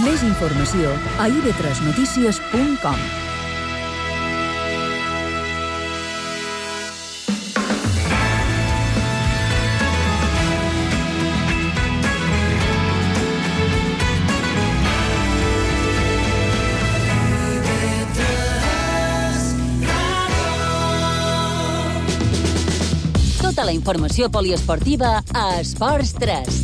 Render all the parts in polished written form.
Més informació a ib3notícies.com. Tota la informació poliesportiva a Esports 3.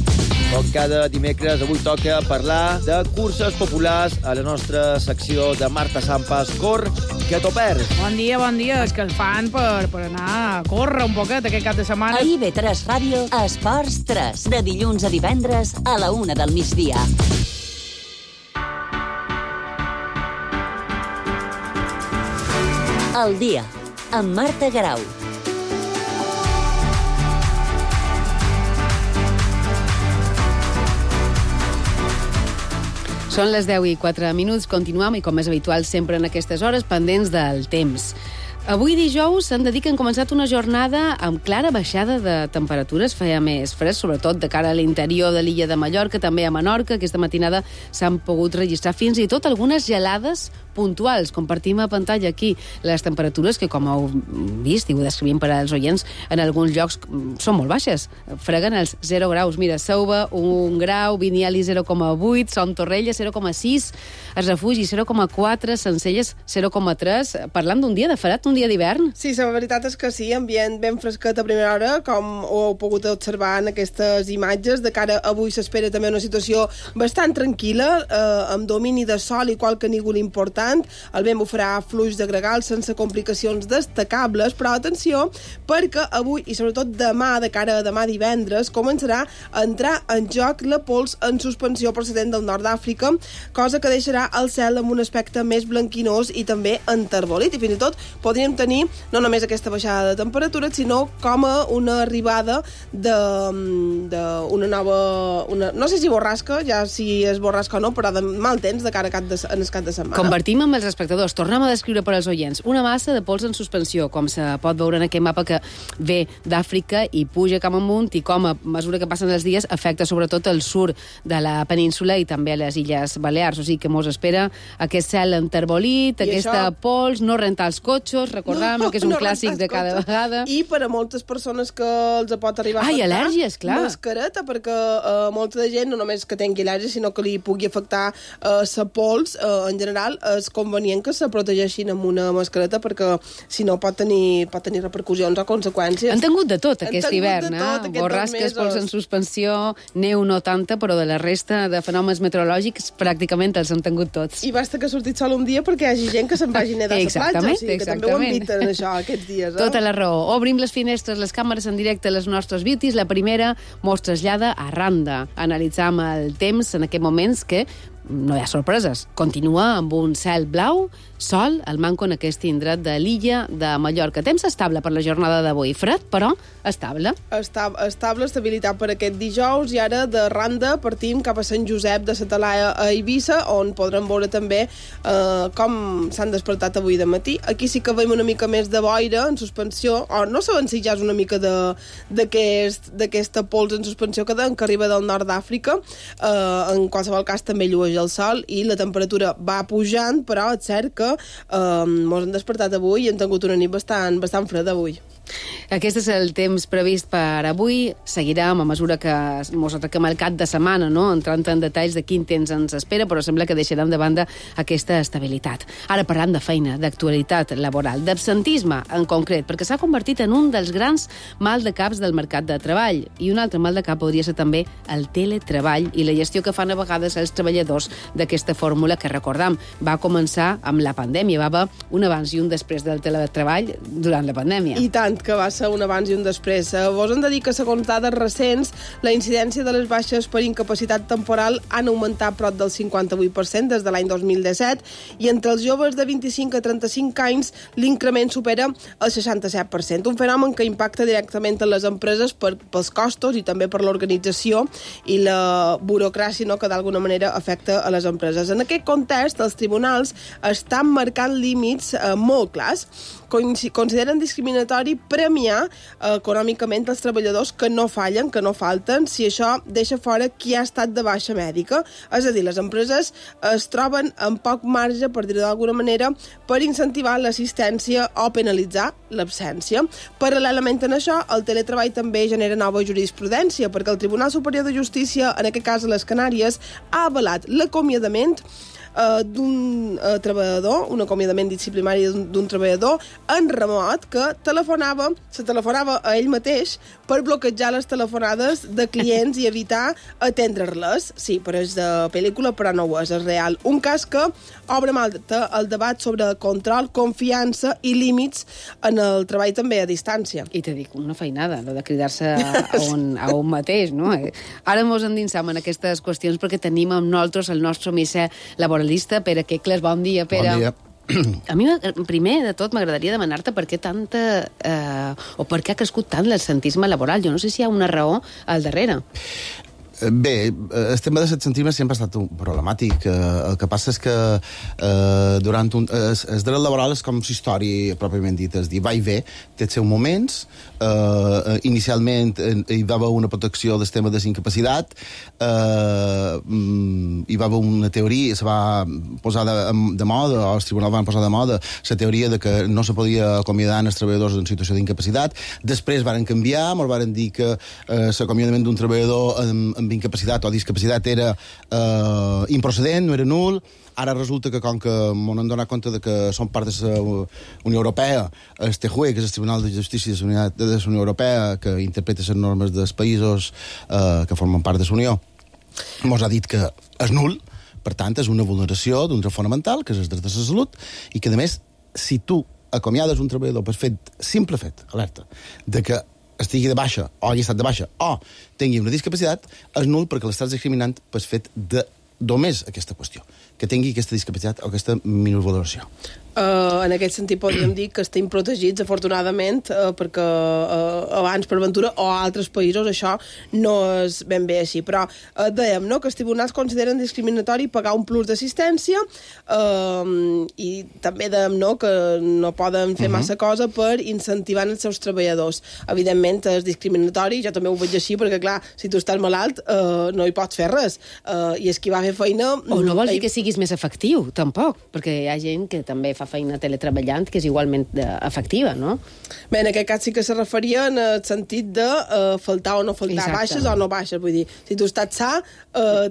Com cada dimecres, avui toca parlar de curses populars a la nostra secció de Marta Sampas. Cor, que t'ho perds. Bon dia. És que el fan per anar a córrer un poquet aquest cap de setmana. A IB3 Ràdio, Esports 3. De dilluns a divendres a la 1 del migdia. El dia, amb Marta Garau. Són les 10:04. Continuem, i com és habitual sempre en aquestes hores, pendents del temps. Avui dijous s'han de dir que han començat una jornada amb clara baixada de temperatures. Feia més fresc, sobretot de cara a l'interior de l'illa de Mallorca, també a Menorca. Aquesta matinada s'han pogut registrar fins i tot algunes gelades puntuals. Compartim a pantalla aquí les temperatures que, com heu vist i ho descrivim per als oients, en alguns llocs són molt baixes. Freguen els 0 graus. Mira, Seuva, 1 grau, Viniali, 0,8, Son Torrella, 0,6, es Refugi, 0,4, Sencelles, 0,3. Parlant d'un dia de fred, un dia d'hivern. Sí, la veritat és que sí, ambient ben fresquet a primera hora, com ho heu pogut observar en aquestes imatges. De cara a avui s'espera també una situació bastant tranquil·la, amb domini de sol i qualque nígol important. El vent bufarà fluix de gregal sense complicacions destacables, però atenció, perquè avui i sobretot demà, de cara a demà divendres, començarà a entrar en joc la pols en suspensió procedent del nord d'Àfrica, cosa que deixarà el cel amb un aspecte més blanquinós i també enterbolit, i fins i tot podríem tenir no només aquesta baixada de temperatura, sinó com a una arribada d'una nova... no sé si borrasca, ja si és borrasca o no, però de mal temps de cara en el cap de setmana. Compartim amb els espectadors, tornem a descriure per als oients, una massa de pols en suspensió, com se pot veure en aquest mapa que ve d'Àfrica i puja cap amunt, i com a mesura que passen els dies afecta sobretot el sud de la península i també a les Illes Balears. O sigui que mos espera aquest cel enterbolit, aquesta pols, no rentar els cotxes, recordem que és un clàssic de cada vegada. I per a moltes persones que els pot arribar a afectar... al·lèrgies, clar. Mascareta, perquè molta de gent no només que tingui al·lèrgia, sinó que li pugui afectar la pols, en general, és convenient que se protegeixin amb una mascareta, perquè si no pot tenir repercussions o conseqüències. Han tingut de tot aquest hivern, borrasques, pols en suspensió, neu no tanta, però de la resta de fenòmens meteorològics pràcticament els han tingut tots. I basta que ha sortit sol un dia perquè hi hagi gent que se'n vagi nedar a la platja, o sigui que també ho han dit en això aquests dies. Tota la raó. Obrim les finestres, les càmeres en directe a les nostres beauties. La primera mos trasllada a Randa. Analitzam el temps en aquests moments que no hi ha sorpreses. Continua amb un cel blau, sol, el manco en aquest indret de l'illa de Mallorca. Temps estable per la jornada d'avui. Fred, però estable. Estable, estabilitat per aquest dijous, i ara de Randa partim cap a Sant Josep de la Talaia a Eivissa, on podrem veure també com s'han despertat avui de matí. Aquí sí que veiem una mica més de boira en suspensió, o no sabem si ja és una mica d'aquesta pols en suspensió que arriba del nord d'Àfrica. En qualsevol cas també llueix el sol i la temperatura va pujant, però és cert que mos han despertat avui i han tingut una nit bastant freda avui. Aquest és el temps previst per avui. Seguirem a mesura que mos atraquem el cap de setmana, no? Entrant en detalls de quin temps ens espera, però sembla que deixarem de banda aquesta estabilitat. Ara parlant de feina, d'actualitat laboral, d'absentisme en concret, perquè s'ha convertit en un dels grans mal de caps del mercat de treball. I un altre mal de cap podria ser també el teletreball i la gestió que fan a vegades els treballadors d'aquesta fórmula que, recordam, va començar amb la pandèmia. Va haver un abans i un després del teletreball durant la pandèmia. I tant, que va ser un abans i un després. Vos hem de dir que, segons dades recents, la incidència de les baixes per incapacitat temporal han augmentat prop del 58% des de l'any 2017, i entre els joves de 25 a 35 anys l'increment supera el 67%. Un fenomen que impacta directament en les empreses pels costos i també per l'organització i la burocràcia, no?, que d'alguna manera afecta a les empreses. En aquest context, els tribunals estan marcant límits molt clars. consideren discriminatori premiar econòmicament els treballadors que no fallen, que no falten, si això deixa fora qui ha estat de baixa mèdica. És a dir, les empreses es troben amb poc marge, per dir-ho d'alguna manera, per incentivar l'assistència o penalitzar l'absència. Paral·lelament a això, el teletreball també genera nova jurisprudència, perquè el Tribunal Superior de Justícia, en aquest cas a les Canàries, ha avalat l'acomiadament d'un treballador, un acomiadament disciplinari d'un treballador en remot que se telefonava a ell mateix per bloquejar les telefonades de clients i evitar atendre-les. Sí, però és de pel·lícula, però no ho és real. Un cas que obre el debat sobre control, confiança i límits en el treball també a distància. I te dic, una feinada, lo de cridar-se a un mateix, no? Ara mos endinsam en aquestes qüestions perquè tenim amb nosaltres el nostre misser laboralista, Pere Quecles. Bon dia, Pere. Bon dia. A mi, primer de tot, m'agradaria demanar-te per què o per què ha crescut tant l'absentisme laboral. Jo no sé si hi ha una raó al darrere. Bé, el tema de l'absentisme sempre ha estat problemàtic. El que passa és que durant el dret laboral és com la història pròpiament dit, és dir, va i ve, té els seus moments. Inicialment hi va haver una protecció del tema de incapacitat, hi va haver una teoria, se va posar de moda, o els tribunals van posar de moda, la teoria de que no se podia acomiadar els treballadors en situació d'incapacitat. Després varen canviar, ens varen dir que l'acomiadament d'un treballador amb incapacitat o discapacitat era improcedent, no era nul. Ara resulta que, com que m'han donat compte de que som part de la Unió Europea, el TJUE, que és el Tribunal de Justícia de la Unió Europea, que interpreta les normes dels països que formen part de la Unió, mos ha dit que és nul, per tant, és una vulneració d'un dret fonamental, que és el dret de la salut, i que, a més, si tu acomiades un treballador per simple fet, alerta, de que estigui de baixa, o hagi estat de baixa, o tingui una discapacitat, és nul perquè l'estàs discriminant per fet de només aquesta qüestió, que tingui aquesta discapacitat o aquesta minusvaloració. En aquest sentit podríem dir que estem protegits, afortunadament, perquè abans, per ventura, o a altres països, això no és ben bé així. Però dèiem, no?, que els tribunals consideren discriminatori pagar un plus d'assistència i també dèiem, no?, que no poden fer massa cosa per incentivar els seus treballadors. Evidentment, és discriminatori, jo també ho veig així, perquè, clar, si tu estàs malalt, no hi pots fer res. I és qui va fer feina... O no vol dir que siguis més efectiu, tampoc, perquè hi ha gent que també fa feina teletreballant, que és igualment efectiva, no? Bé, en aquest cas sí que se referia en el sentit de faltar o no faltar, baixes o no baixes. Vull dir, si tu estàs sa,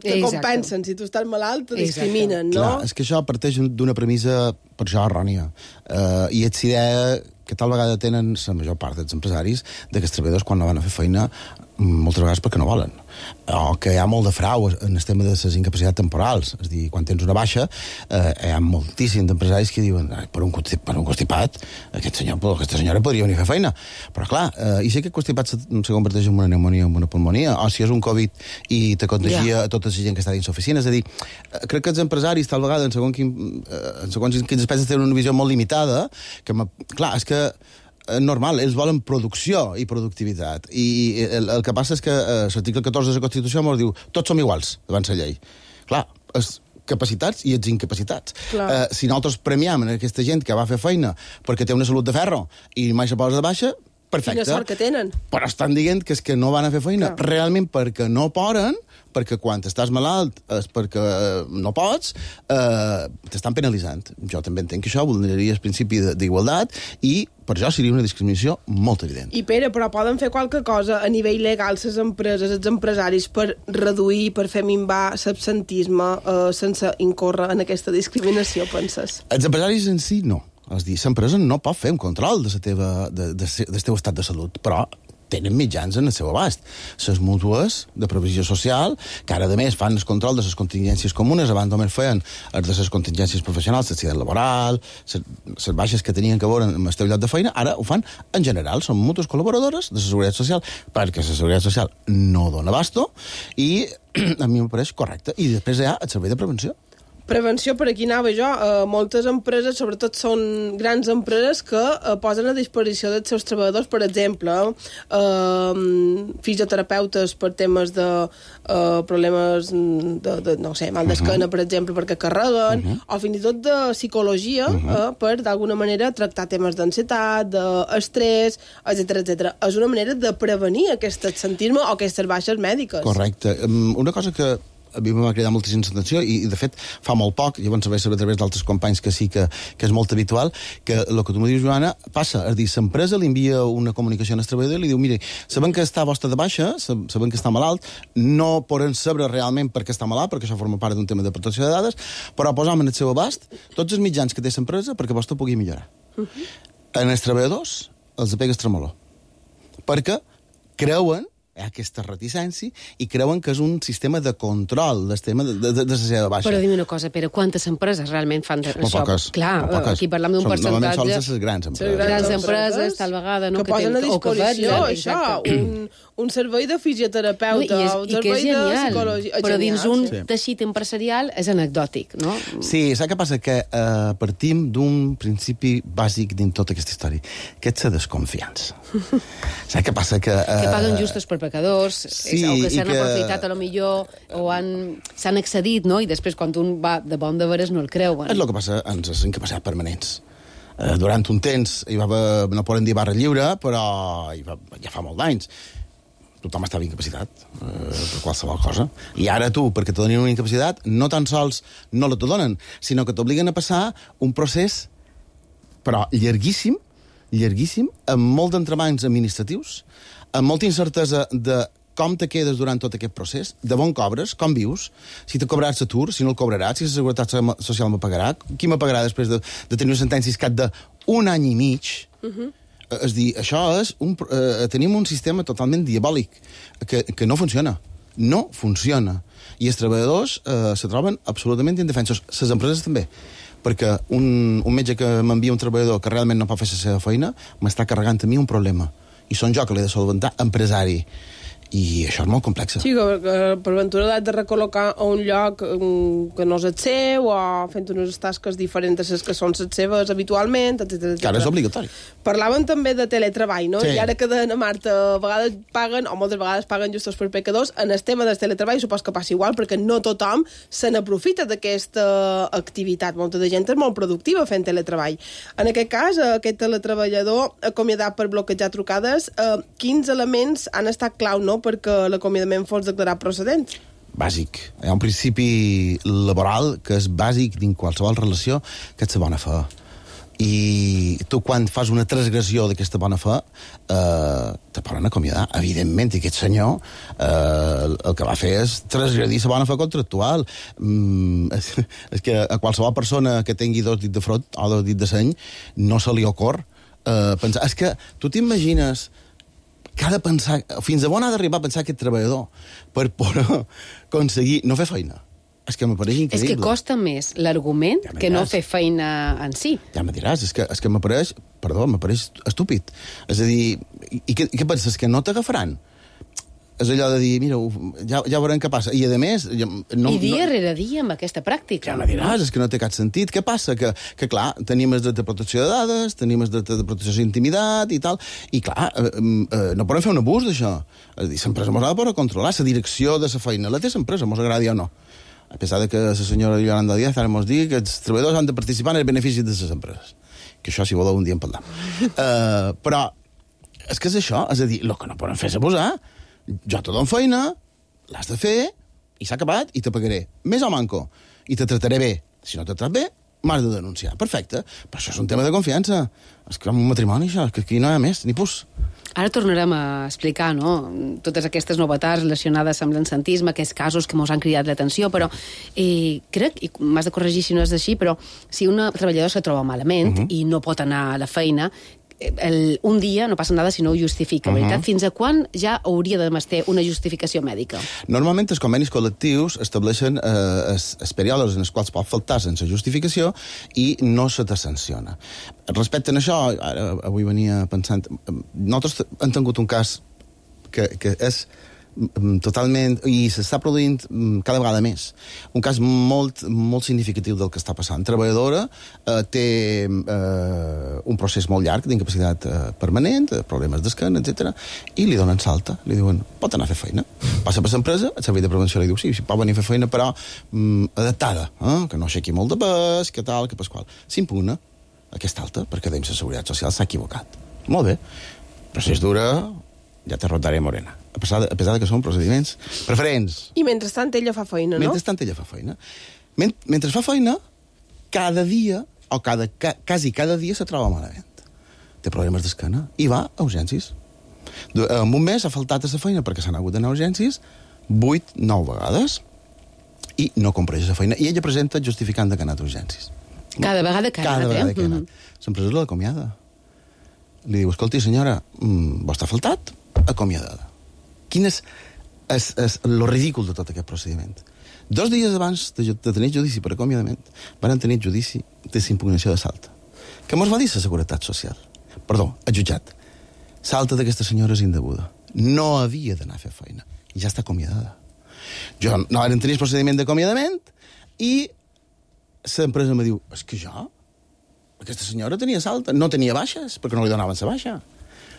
te compensen. Si tu estàs malalt, te discriminen, no? Clar, és que això parteix d'una premissa, per això, errònia. I és idea que tal vegada tenen la major part dels empresaris de que els treballadors, quan no van a fer feina, moltes vegades perquè no volen. O que hi ha molt de frau en el tema de les incapacitats temporals. És a dir, quan tens una baixa, hi ha moltíssims d'empresaris que diuen per un constipat, aquesta senyora podria venir a fer feina. Però clar, i si aquest constipat se converteix en una pneumònia o en una pulmonia, o si és un Covid i te contagia a tota la gent que està dins l'oficina. És a dir, crec que els empresaris, tal vegada, en segons quins aspectes tenen una visió molt limitada, que, clar, és que normal, ells volen producció i productivitat. I el que passa és que l'article 14 de la Constitució ens diu tots som iguals davant la llei. Clar, els capacitats i els incapacitats. Si nosaltres premiam aquesta gent que va fer feina perquè té una salut de ferro i mai se posa de baixa, perfecte. Quina sort que tenen. Però estan dient que és que no van a fer feina realment perquè no poden, perquè quan estàs malalt és perquè no pots, t'estan penalitzant. Jo també entenc que això vulneraria el principi d'igualtat i per això seria una discriminació molt evident. I Pere, però poden fer qualque cosa a nivell legal les empreses, els empresaris, per reduir, per fer minvar l'absentisme sense incórrer en aquesta discriminació, penses? Els empresaris en si no. És a dir, l'empresa no pot fer un control del teu estat de salut, però tenen mitjans en el seu abast. Les mútues de provisió social, que ara, a més, fan el control de les contingències comunes, abans només feien de les contingències professionals, l'accident laboral, les baixes que tenien que veure amb el teu lloc de feina, ara ho fan en general, són mútues col·laboradores de la Seguretat Social, perquè la Seguretat Social no dona abasto, i a mi em pareix correcte. I després hi ha el servei de prevenció. Prevenció, per aquí anava jo. Moltes empreses, sobretot són grans empreses, que posen a disposició dels seus treballadors, per exemple, fisioterapeutes per temes de problemes de no sé, mal d'esquena, per exemple, perquè carreguen, o fins i tot de psicologia, per, d'alguna manera, tractar temes d'ansietat, d'estrès, etc. És una manera de prevenir aquest absentisme o aquestes baixes mèdiques. Correcte. Una cosa que a mi m'ha cridat moltíssima atenció i de fet fa molt poc, llavors vaig saber a través d'altres companys que sí que és molt habitual, que el que tu m'ho dius, Joana, passa, és a dir, l'empresa li envia una comunicació al treballador i li diu, mire, sabem que està vostre de baixa, sabem que està malalt, no poden saber realment per què està malalt, perquè això forma part d'un tema de protecció de dades, però posam en el seu abast tots els mitjans que té l'empresa perquè vostè pugui millorar. En els treballadors els pega tremolor, perquè creuen aquesta reticència i creuen que és un sistema de control del tema de la seva baixa. Però dime una cosa, Pere, quantes empreses realment fan això? Molt poques. Clar, aquí parlam d'un percentatge... Normalment sols les grans empreses. Grans empreses, tal vegada... Que posen a disposició això, un servei de fisioterapeuta, un servei de psicologia... Però dins un teixit empresarial és anecdòtic, no? Sí, saps què passa? Que partim d'un principi bàsic dins tota aquesta història, que és la desconfiança. Saps què passa? Que paguen justos per pecadors, o que s'han aprofitat a lo millor, o s'han excedit, no? I després, quan un va de bon de veres, no el creuen. És el que passa amb les incapacitats permanents. Durant un temps hi va haver, no poden dir barra lliure, però ja fa molt d'anys tothom estava incapacitat per qualsevol cosa. I ara tu, perquè te donin una incapacitat, no tan sols no la te donen, sinó que t'obliguen a passar un procés, però llarguíssim, amb molt d'entrebancs administratius, amb molta incertesa de com te quedes durant tot aquest procés, de bon cobres, com vius, si te cobraràs l'atur, si no el cobraràs, si la Seguretat Social me pagarà, qui me pagarà després de tenir una sentència iscat d'un any i mig. És dir, això és tenim un sistema totalment diabòlic que no funciona. No funciona. I els treballadors se troben absolutament indefensos. Les empreses també. Perquè un metge que m'envia un treballador que realment no pot fer la seva feina m'està carregant a mi un problema. I són jo que l'he de solventar, empresari. I això és molt complex. Sí, que per ventura l'has de recol·locar a un lloc que no és el seu, o fent unes tasques diferents a les que són les seves habitualment, etc. Que ara és obligatori. Parlaven també de teletreball, no? Sí. I ara que deien a Marta, a vegades paguen, o moltes vegades paguen justos per pecadors, en el tema del teletreball supos que passa igual, perquè no tothom se n'aprofita d'aquesta activitat. Molta de gent és molt productiva fent teletreball. En aquest cas, aquest teletreballador acomiadat per bloquejar trucades, quins elements han estat clau, no?, perquè l'acomiadament fos declarat procedent? Bàsic. Hi ha un principi laboral que és bàsic dins qualsevol relació, que és la bona fe. I tu, quan fas una transgressió d'aquesta bona fe, te poden acomiadar, evidentment. I aquest senyor el que va fer és transgredir la bona fe contractual. És que a qualsevol persona que tingui dos dits de front o dos dits de seny no se li ocorre pensar... És que tu t'imagines que ha de pensar, fins a on ha d'arribar a pensar aquest treballador per poder aconseguir no fer feina. És que m'apareix increïble. És que costa més l'argument que no fer feina en si. Ja me diràs, és que m'apareix estúpid. És a dir, i què penses, que no t'agafaran? És allò de dir, mira, ja veurem què passa. I, a més... I dia rere dia amb aquesta pràctica. Ja me diràs, és que no té cap sentit. Què passa? Que clar, tenim els de protecció de dades, tenim els de protecció d'intimitat i tal, i clar, no podem fer un abús d'això. És a dir, l'empresa mos ha de poder controlar, la direcció de la feina. La té l'empresa, mos agradi o no. A pesar de que la senyora Yolanda Díaz ara mos digui que els treballadors han de participar en els beneficis de les empreses. Que això, si voleu, un dia en parlam. Però és que és això, és a dir, el que no poden fer és abusar. Jo te dono feina, l'has de fer, i s'ha acabat, i te pagaré més o manco, i te trataré bé. Si no te tractat bé, m'has de denunciar. Perfecte, però això és un tema de confiança. És que un matrimoni, això, que aquí no hi ha més, ni pus. Ara tornarem a explicar, no?, totes aquestes novetats relacionades amb l'absentisme, aquests casos que ens han cridat l'atenció, però crec, i m'has de corregir si no és així, però si un treballador se troba malament i no pot anar a la feina, un dia no passa nada si no ho justifica, veritat? Fins a quan ja hauria de ter una justificació mèdica? Normalment els convenis col·lectius estableixen els períodes en els quals pot faltar sense justificació i no se te sanciona. Respecte a això, ara avui venia pensant, nosaltres hem tingut un cas que és totalment, i s'està produint cada vegada més. Un cas molt significatiu del que està passant. Treballadora té un procés molt llarg d'incapacitat permanent, problemes d'esquena, etc. I li donen salta, li diuen, pot anar a fer feina. Passa per l'empresa, el servei de prevenció li diu, sí, pot venir a fer feina, però adaptada, que no aixequi molt de pes, que tal, que pasqual. S'impugna aquesta alta, perquè la Seguretat Social s'ha equivocat. Molt bé, però si és dura, ja te rotaré morena. A pesar que són procediments preferents. I mentrestant ella fa feina, no? Mentrestant ella fa feina. Mentre fa feina, cada dia, o quasi cada dia se troba malament. Té problemes d'esquena i va a urgències. En un mes ha faltat a la feina perquè s'han hagut d'anar a urgències 8-9 vegades i no compleix la feina. I ella presenta justificant que ha anat a urgències. Cada vegada que ha anat, Cada vegada que ha anat. L'empresa l'acomiada. Li diu, escolti, senyora, vostè ha faltat? Acomiadada. Quin és lo ridícul de tot aquest procediment? 2 dies abans de tenir judici per acomiadament, van tenir judici de impugnació de salta. Què mos va dir la Seguretat Social? Perdó, el jutjat. Salta d'aquesta senyora és indeguda. No havia d'anar a fer feina. I ja està acomiadada. Jo no van tenir el procediment d'acomiadament i l'empresa em diu, és que jo, aquesta senyora tenia salta, no tenia baixes, perquè no li donaven la baixa.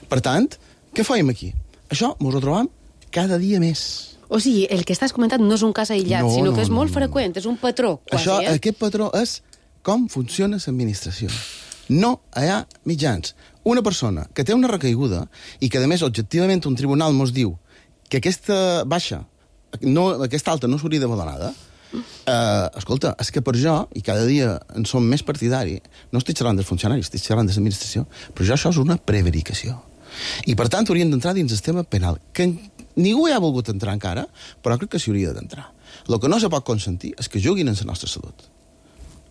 Per tant, què fèiem aquí? Això mos ho trobam cada dia més. O sigui, el que estàs comentant no és un cas aïllat, sinó que és molt freqüent, és un patró, quasi. Aquest patró és com funciona l'administració. No hi ha mitjans. Una persona que té una recaiguda i que, a més, objectivament un tribunal mos diu que aquesta baixa, aquesta alta no s'hauria d'haver donada, escolta, és que per jo, i cada dia en som més partidari, no estic xerrant dels funcionaris, estic xerrant de l'administració, però això és una prevaricació. I per tant haurien d'entrar dins el sistema penal, que ningú hi ha volgut entrar encara, però crec que s'hi hauria d'entrar. El que no se pot consentir és que juguin en la nostra salut.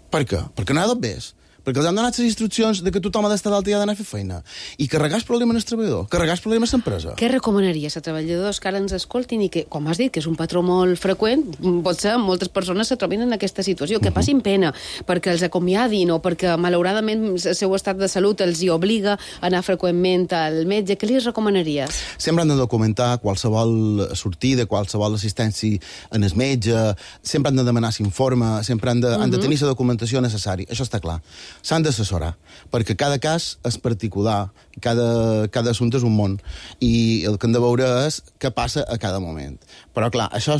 Per què? Perquè no hi ha d'obvés. Perquè els han donat les instruccions de que tothom ha d'estar d'alta i ha d'anar a fer feina. I carregar el problema en el treballador, carregar el problema en l'empresa. Què recomanaries a treballadors que ara ens escoltin i que, com has dit, que és un patró molt freqüent, potser moltes persones se trobin en aquesta situació, que passin pena perquè els acomiadin o perquè, malauradament, el seu estat de salut els hi obliga a anar freqüentment al metge? Què li recomanaries? Sempre han de documentar qualsevol sortida, qualsevol assistència en el metge, sempre han de demanar l'informe, sempre han de tenir la documentació necessària. Això està clar. S'han d'assessorar, perquè cada cas és particular, cada assumpte és un món, i el que hem de veure és què passa a cada moment. Però, clar, això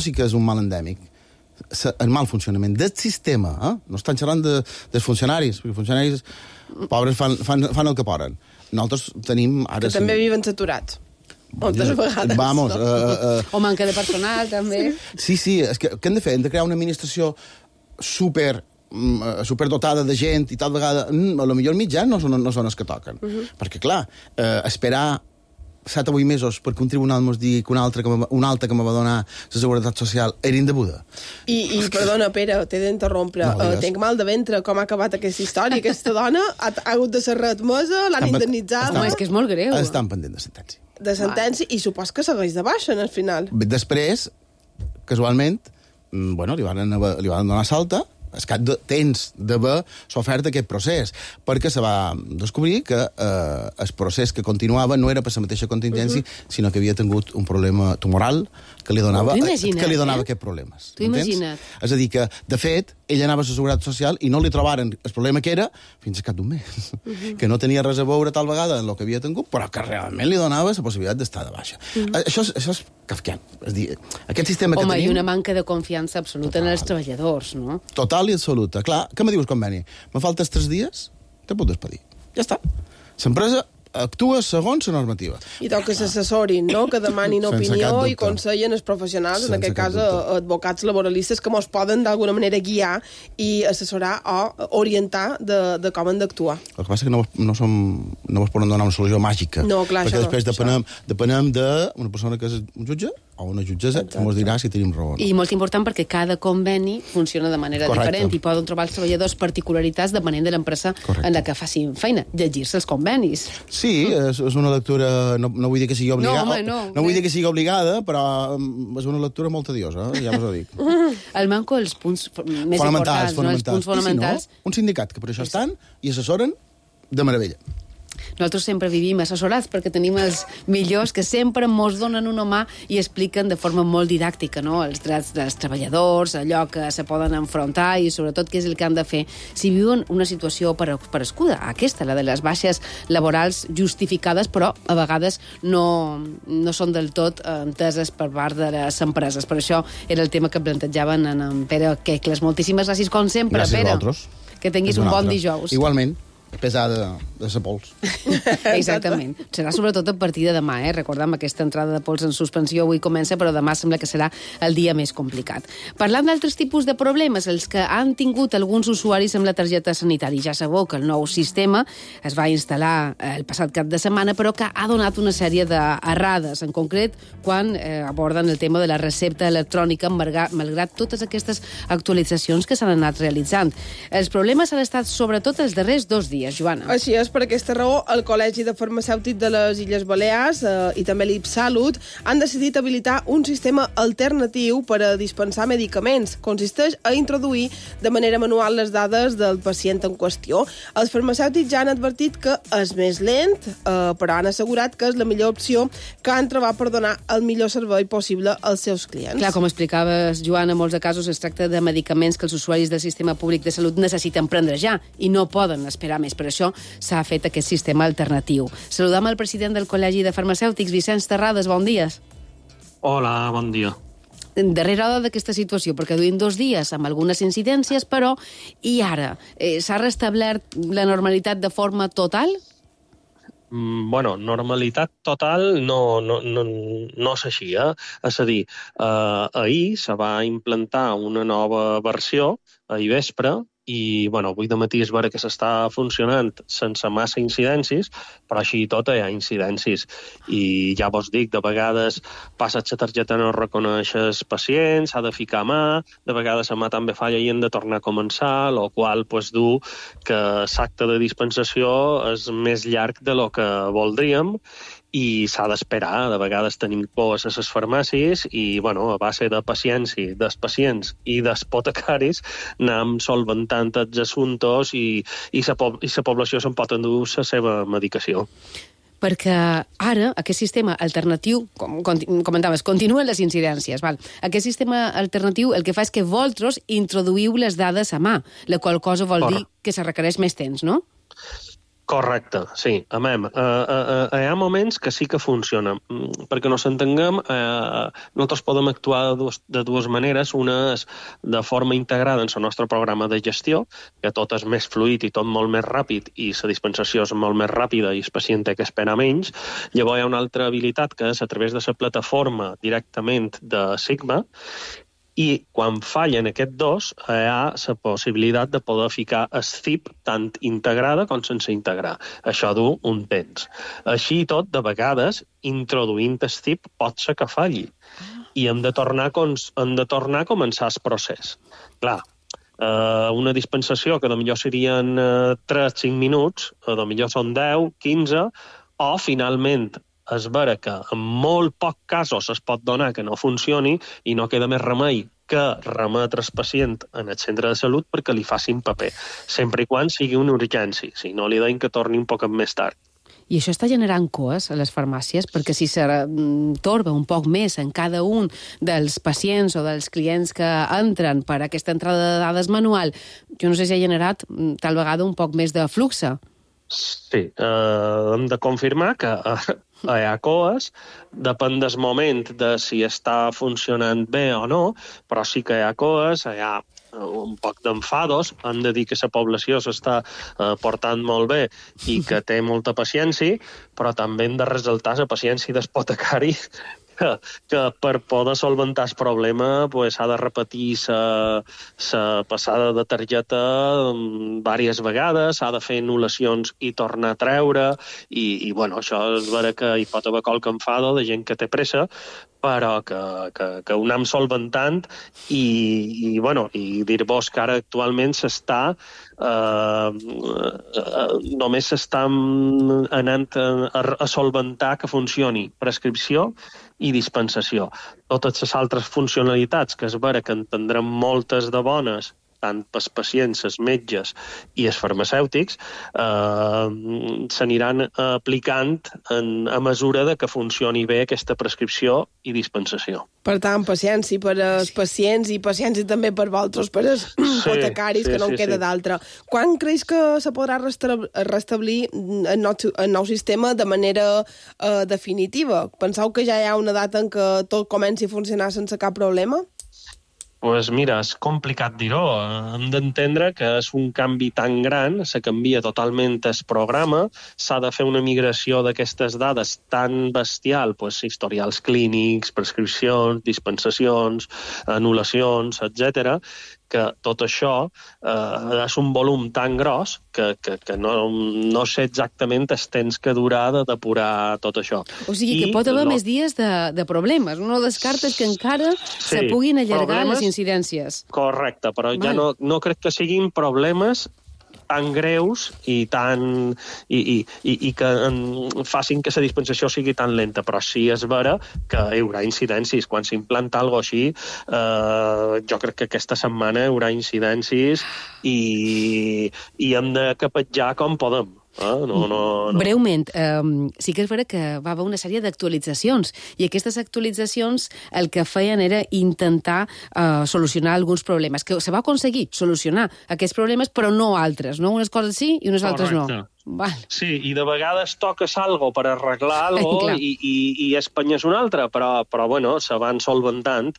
sí que és un mal endèmic, el mal funcionament del sistema, no estan xerrant dels funcionaris, perquè els funcionaris pobres fan el que poden. Nosaltres tenim... Que també viven saturats. Moltes vegades. Vamos. O manca de personal, també. Sí, és que què hem de fer? Hem de crear una administració superdotada de gent i tal vegada, a lo millor mitjans no són els que toquen. Perquè, clar, esperar 7 o 8 mesos perquè un tribunal mos digui que una alta que me va donar la Seguretat Social era indeguda. I perdona, Pere, t'he d'interrompre. Tenc mal de ventre, com ha acabat aquesta història. Aquesta dona ha hagut de ser readmesa, l'han indemnitzada. És que és molt greu. Estan pendent de sentència. De sentència, i supos que segueix de baixa, al final. Després, casualment, li van donar salta, és que tens d'haver sofert aquest procés, perquè se va descobrir que el procés que continuava no era per la mateixa contingència, sinó que havia tingut un problema tumoral que li donava aquests problemes. T'ho imagina't. És a dir, que, de fet, ell anava a la Seguretat Social i no li trobaren el problema que era fins al cap d'un mes. Que no tenia res a veure tal vegada en el que havia tingut, però que realment li donava la possibilitat d'estar de baixa. Això és kafkian. És a dir, aquest sistema que tenim... Home, i una manca de confiança absoluta en els treballadors, no? Total i absoluta. Clar, què me dius, conveni? Me faltes 3 dies? Te puc despedir. Ja està. L'empresa actua segons la normativa. I toca que s'assessorin, no? Que demanin opinió i consellen els professionals, en aquest cas advocats laboralistes, que mos poden d'alguna manera guiar i assessorar o orientar de com han d'actuar. El que passa és que no vos poden donar una solució màgica. No, clar, perquè després depenem d'una persona que és un jutge o una jutgessa que ens dirà si tenim raó. I molt important perquè cada conveni funciona de manera diferent i poden trobar els treballadors particularitats depenent de l'empresa en la que facin feina. Llegir-se els convenis. Sí, és una lectura... No vull dir que sigui obligada. No vull dir que sigui obligada, però és una lectura molt tediosa, ja us ho dic. El manco, els punts més importants, els punts fonamentals. Un sindicat, que per això estan i assessoren de meravella. Nosaltres sempre vivim assessorats perquè tenim els millors que sempre mos donen una mà i expliquen de forma molt didàctica, no?, els drets dels treballadors, allò que se poden enfrontar i sobretot què és el que han de fer si viuen una situació parescuda, aquesta, la de les baixes laborals justificades, però a vegades no són del tot enteses per part de les empreses. Per això era el tema que plantejaven en Pere Quecles. Moltíssimes gràcies, com sempre, gràcies Pere. A vosaltres. Que tinguis un bon dijous. Igualment, pesada de sa pols. Exactament. Serà sobretot a partir de demà, Recordem, aquesta entrada de pols en suspensió avui comença, però demà sembla que serà el dia més complicat. Parlant d'altres tipus de problemes, els que han tingut alguns usuaris amb la targeta sanitària. Ja sabeu que el nou sistema es va instal·lar el passat cap de setmana, però que ha donat una sèrie d'errades, en concret quan aborden el tema de la recepta electrònica, malgrat totes aquestes actualitzacions que s'han anat realitzant. Els problemes han estat sobretot els darrers 2 dies, Joana. Així és, per aquesta raó, el Col·legi de Farmacèutics de les Illes Balears i també l'IPSalut han decidit habilitar un sistema alternatiu per a dispensar medicaments. Consisteix a introduir de manera manual les dades del pacient en qüestió. Els farmacèutics ja han advertit que és més lent, però han assegurat que és la millor opció que han trobat per donar el millor servei possible als seus clients. Clar, com explicaves, Joana, en molts de casos es tracta de medicaments que els usuaris del sistema públic de salut necessiten prendre ja i no poden esperar més. Per això s'ha fet aquest sistema alternatiu. Saludam el president del Col·legi de Farmacèutics, Vicenç Terrades. Bon dia. Hola, bon dia. Darrere d'aquesta situació, perquè duim 2 dies amb algunes incidències, però i ara? S'ha restablert la normalitat de forma total? Bueno, normalitat total no és així, És a dir, ahir se va implantar una nova versió, ahir vespre, i avui dematí és vera que s'està funcionant sense massa incidències, però així i tot hi ha incidències. I ja vos dic, de vegades passes la targeta no reconeixes pacients, s'ha de ficar mà, de vegades la mà també falla i hem de tornar a començar, el qual du que l'acte de dispensació és més llarg de lo que voldríem i s'ha d'esperar. De vegades tenim pors a les farmàcies i, a base de paciència dels pacients i dels apotecaris anem solventant els assumptes i la població se'n pot endur la seva medicació. Perquè ara aquest sistema alternatiu, com comentaves, continuen les incidències. Aquest sistema alternatiu el que fa és que vosaltres introduïu les dades a mà, la qual cosa vol dir que se requereix més temps, no? Correcte, sí. Hi ha moments que sí que funciona. Perquè no s'entenguem, nosaltres podem actuar de dues maneres. Una és de forma integrada en el nostre programa de gestió, que tot és més fluid i tot molt més ràpid i la dispensació és molt més ràpida i el pacient té que esperar menys. Llavors hi ha una altra habilitat que és a través de la plataforma directament de Sigma, i quan fallen aquests dos, hi ha la possibilitat de poder ficar el CIP tant integrada com sense integrar. Això du un temps. Així i tot, de vegades, introduint el CIP pot ser que falli. I hem de tornar a començar el procés. Clar, una dispensació que potser serien 3-5 minuts, potser són 10, 15, o finalment és vera que en molt pocs casos es pot donar que no funcioni i no queda més remei que remetre el pacient en el centre de salut perquè li facin paper, sempre i quan sigui una urgència, si no li deien que torni un poc més tard. I això està generant coes a les farmàcies, perquè si se torba un poc més en cada un dels pacients o dels clients que entren per aquesta entrada de dades manual, jo no sé si ha generat tal vegada un poc més de flux. Sí, hem de confirmar que hi ha coes, depèn del moment de si està funcionant bé o no, però sí que hi ha coes, hi ha un poc d'enfados, hem de dir que la població s'està portant molt bé i que té molta paciència, però també hem de ressaltar la paciència del apotecari que per poder solventar el problema s'ha de repetir la passada de targeta diverses vegades, s'ha de fer anul·lacions i tornar a treure, i això és vera que hi pot haver qualque enfado de gent que té pressa, però que ho anem solventant i dir-vos que ara actualment només s'està anant a solventar que funcioni prescripció i dispensació. Totes les altres funcionalitats, que és vera que en tindrem moltes de bones tant pels pacients, els metges i els farmacèutics, s'aniran aplicant a mesura de que funcioni bé aquesta prescripció i dispensació. Per tant, paciència per als pacients i paciència també per vosaltres, per als hipotecaris, que no en queda d'altra. Quan creus que se podrà restablir el nou sistema de manera definitiva? Penseu que ja hi ha una data en què tot comenci a funcionar sense cap problema? Pues mira, és complicat dir-ho. Hem d'entendre que és un canvi tan gran, se canvia totalment el programa, s'ha de fer una migració d'aquestes dades tan bestial, pues, historials clínics, prescripcions, dispensacions, anul·lacions, etc., que tot això és un volum tan gros que no sé exactament el temps que durà de depurar tot això. O sigui que pot haver més dies de problemes. No descartes que encara se puguin allargar les incidències. Correcte, però ja no crec que siguin problemes tan greus i que facin que la dispensació sigui tan lenta, però sí és vera que hi haurà incidències. Quan s'implanta alguna cosa així, jo crec que aquesta setmana hi haurà incidències i hem de capetjar com podem. No. Breument, sí que és vera que va haver una sèrie d'actualitzacions i aquestes actualitzacions el que feien era intentar solucionar alguns problemes, que se va aconseguir solucionar aquests problemes, però no altres, no? Unes coses sí i unes altres no. Val. Sí, i de vegades toques algo per arreglar algo i Espanya és una altra, però bueno, se van solventant,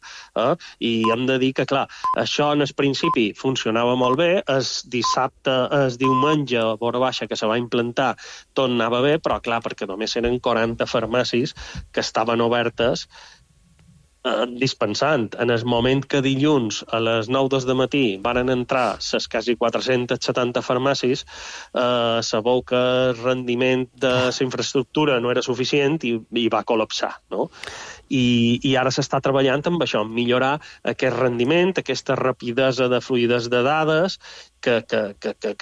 i hem de dir que, clar, això en el principi funcionava molt bé, el diumenge, a vora baixa, que se va implantar, tot anava bé, però clar, perquè només eren 40 farmàcies que estaven obertes dispensant. En el moment que dilluns a les 9 del matí van entrar les quasi 470 farmàcies, sabeu que el rendiment de la infraestructura no era suficient i va col·lapsar, no? I ara s'està treballant amb això, en millorar aquest rendiment, aquesta rapidesa de fluïdes de dades que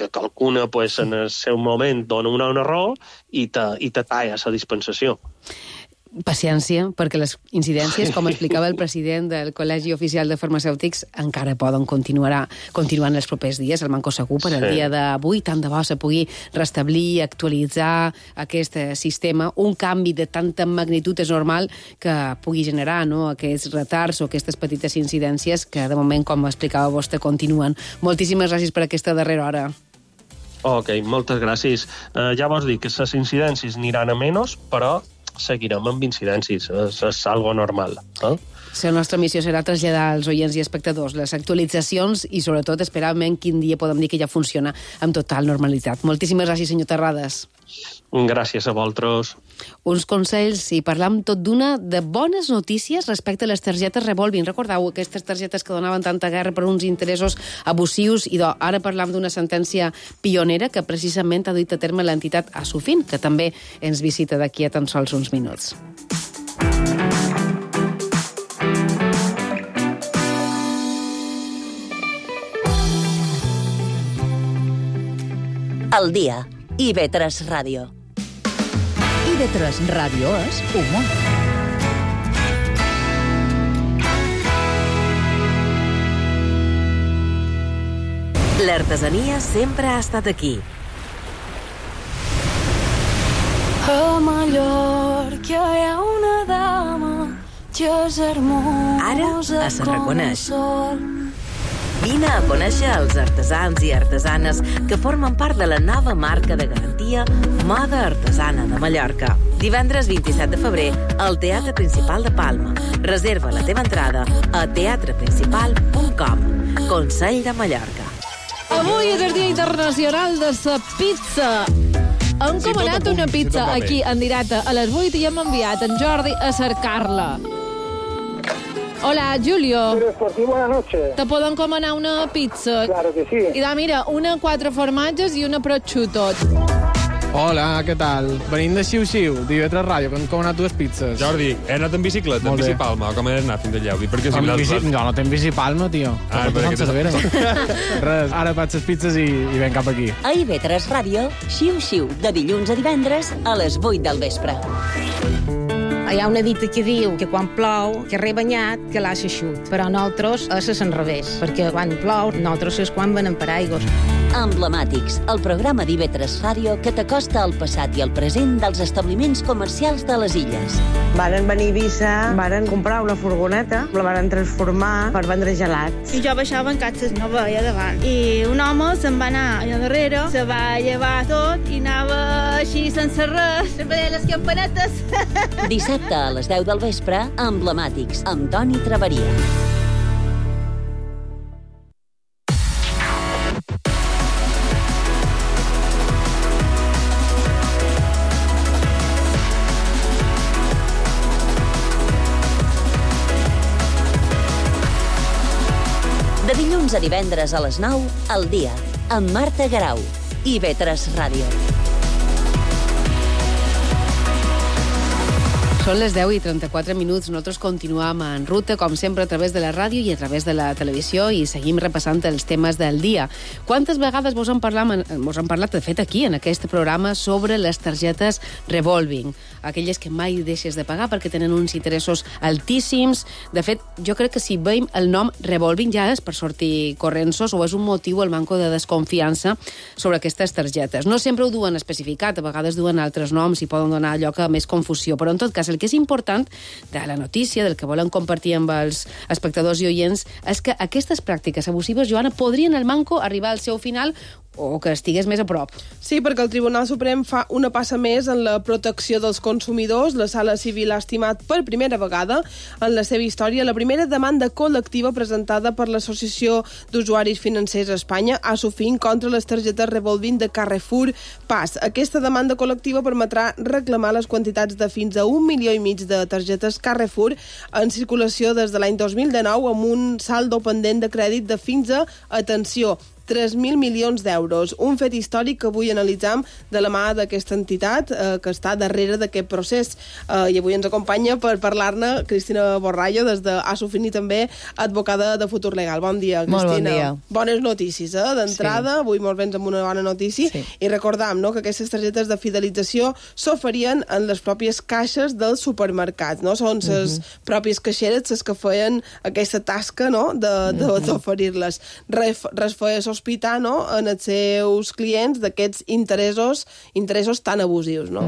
qualcuna pues, en el seu moment dona un error i te talla la dispensació. Paciència, perquè les incidències, com explicava el president del Col·legi Oficial de Farmacèutics, encara poden continuar en els propers dies. El Manco Segur, per al dia d'avui, tant de bo se pugui restablir, actualitzar aquest sistema. Un canvi de tanta magnitud és normal que pugui generar aquests retards o aquestes petites incidències que, de moment, com explicava vostè, continuen. Moltíssimes gràcies per aquesta darrera hora. Ok, moltes gràcies. Ja vos dic que les incidències aniran a menys, però seguirem amb incidències, és algo normal. La nostra missió serà traslladar als oients i espectadors les actualitzacions i, sobretot, esperar quin dia podem dir que ja funciona amb total normalitat. Moltíssimes gràcies, senyor Terrades. Gràcies a vosaltres. Uns consells, i parlam tot d'una, de bones notícies respecte a les targetes Revolving. Recordeu aquestes targetes que donaven tanta guerra per uns interessos abusius, i ara parlam d'una sentència pionera que precisament ha duit a terme l'entitat Asufin, que també ens visita d'aquí a tan sols uns minuts. El dia. IB3 Ràdio. IB3 Ràdio és humor. L'artesania sempre ha estat aquí. A Mallorca hi ha una dama que és hermosa. Ara es reconeix. Vine a conèixer els artesans i artesanes que formen part de la nova marca de garantia Moda Artesana de Mallorca. Divendres 27 de febrer al Teatre Principal de Palma. Reserva la teva entrada a teatreprincipal.com. Consell de Mallorca. Avui és el Dia Internacional de la Pizza. Hem comanat una pizza aquí en directe a les 8 i hem enviat en Jordi a cercar-la. Hola, Julio. Buenas noches. ¿Te puedo encomanar una pizza? Claro que sí. I mira, una 4 formatges i una prosciutto. Hola, què tal? Venim de Xiu-Xiu, d'IB3 Ràdio, que hem encomanat 2 pizzas. Jordi, he anat en bicicleta, en bicipalma, com he anat fins allà? No, no tenc bicipalma, tio. Res, ara faig les pizzas i ven cap aquí. A IB3 Ràdio, Xiu-Xiu, de dilluns a divendres a les 8 del vespre. A Hi ha una dita que diu que quan plou, que rebanyat, que l'ha xut. Però nosaltres és l'enrevés, perquè quan plou, nosaltres és quan venen per aigües. Emblemàtics, el programa d'IV3 Ràdio que t'acosta al passat i al present dels establiments comercials de les illes. Varen venir a Eivissa, varen comprar una furgoneta, la varen transformar per vendre gelats. I jo baixava en catxes, no veia davant. I un home se'n va anar allà darrere, se va llevar tot i anava així sense res, sempre les campanetes. Dissabte a les 10 del vespre, Emblemàtics, amb Toni Traveria. De dilluns a divendres a les 9, al dia, amb Marta Garau, IV3 Ràdio. Són les 10 i 34 minuts. Nosaltres continuem en ruta, com sempre, a través de la ràdio i a través de la televisió, i seguim repassant els temes del dia. Quantes vegades vos han parlat, de fet, aquí, en aquest programa, sobre les targetes revolving, aquelles que mai deixes de pagar perquè tenen uns interessos altíssims. De fet, jo crec que si veiem el nom revolving ja és per sortir correnços o és un motiu el manco de desconfiança sobre aquestes targetes. No sempre ho duen especificat, a vegades duen altres noms i poden donar lloc a més confusió, però en tot cas el que és important de la notícia, del que volen compartir amb els espectadors i oients, és que aquestes pràctiques abusives, Joana, podrien al manco arribar al seu final o que estigués més a prop. Sí, perquè el Tribunal Suprem fa una passa més en la protecció dels consumidors. La Sala Civil ha estimat per primera vegada en la seva història la primera demanda col·lectiva presentada per l'Associació d'Usuaris Financers a Espanya, ASUFIN, contra les targetes revolving de Carrefour Pas. Aquesta demanda col·lectiva permetrà reclamar les quantitats de fins a 1,5 milió de targetes Carrefour en circulació des de l'any 2019 amb un saldo pendent de crèdit de fins a, atenció, 3.000 milions d'euros. Un fet històric que avui analitzam de la mà d'aquesta entitat que està darrere d'aquest procés. I avui ens acompanya per parlar-ne Cristina Borrallo, des d'ASUFIN i també advocada de Futur Legal. Bon dia, Cristina. Molt bon dia. Bones notícies, d'entrada. Sí. Avui molt vens amb una bona notícia. Sí. I recordam, no?, que aquestes targetes de fidelització s'oferien en les pròpies caixes dels supermercats, no? Són les pròpies caixeres les que feien aquesta tasca, no?, d'oferir-les. Res feia sospitar, no?, en els seus clients d'aquests interessos tan abusius, no?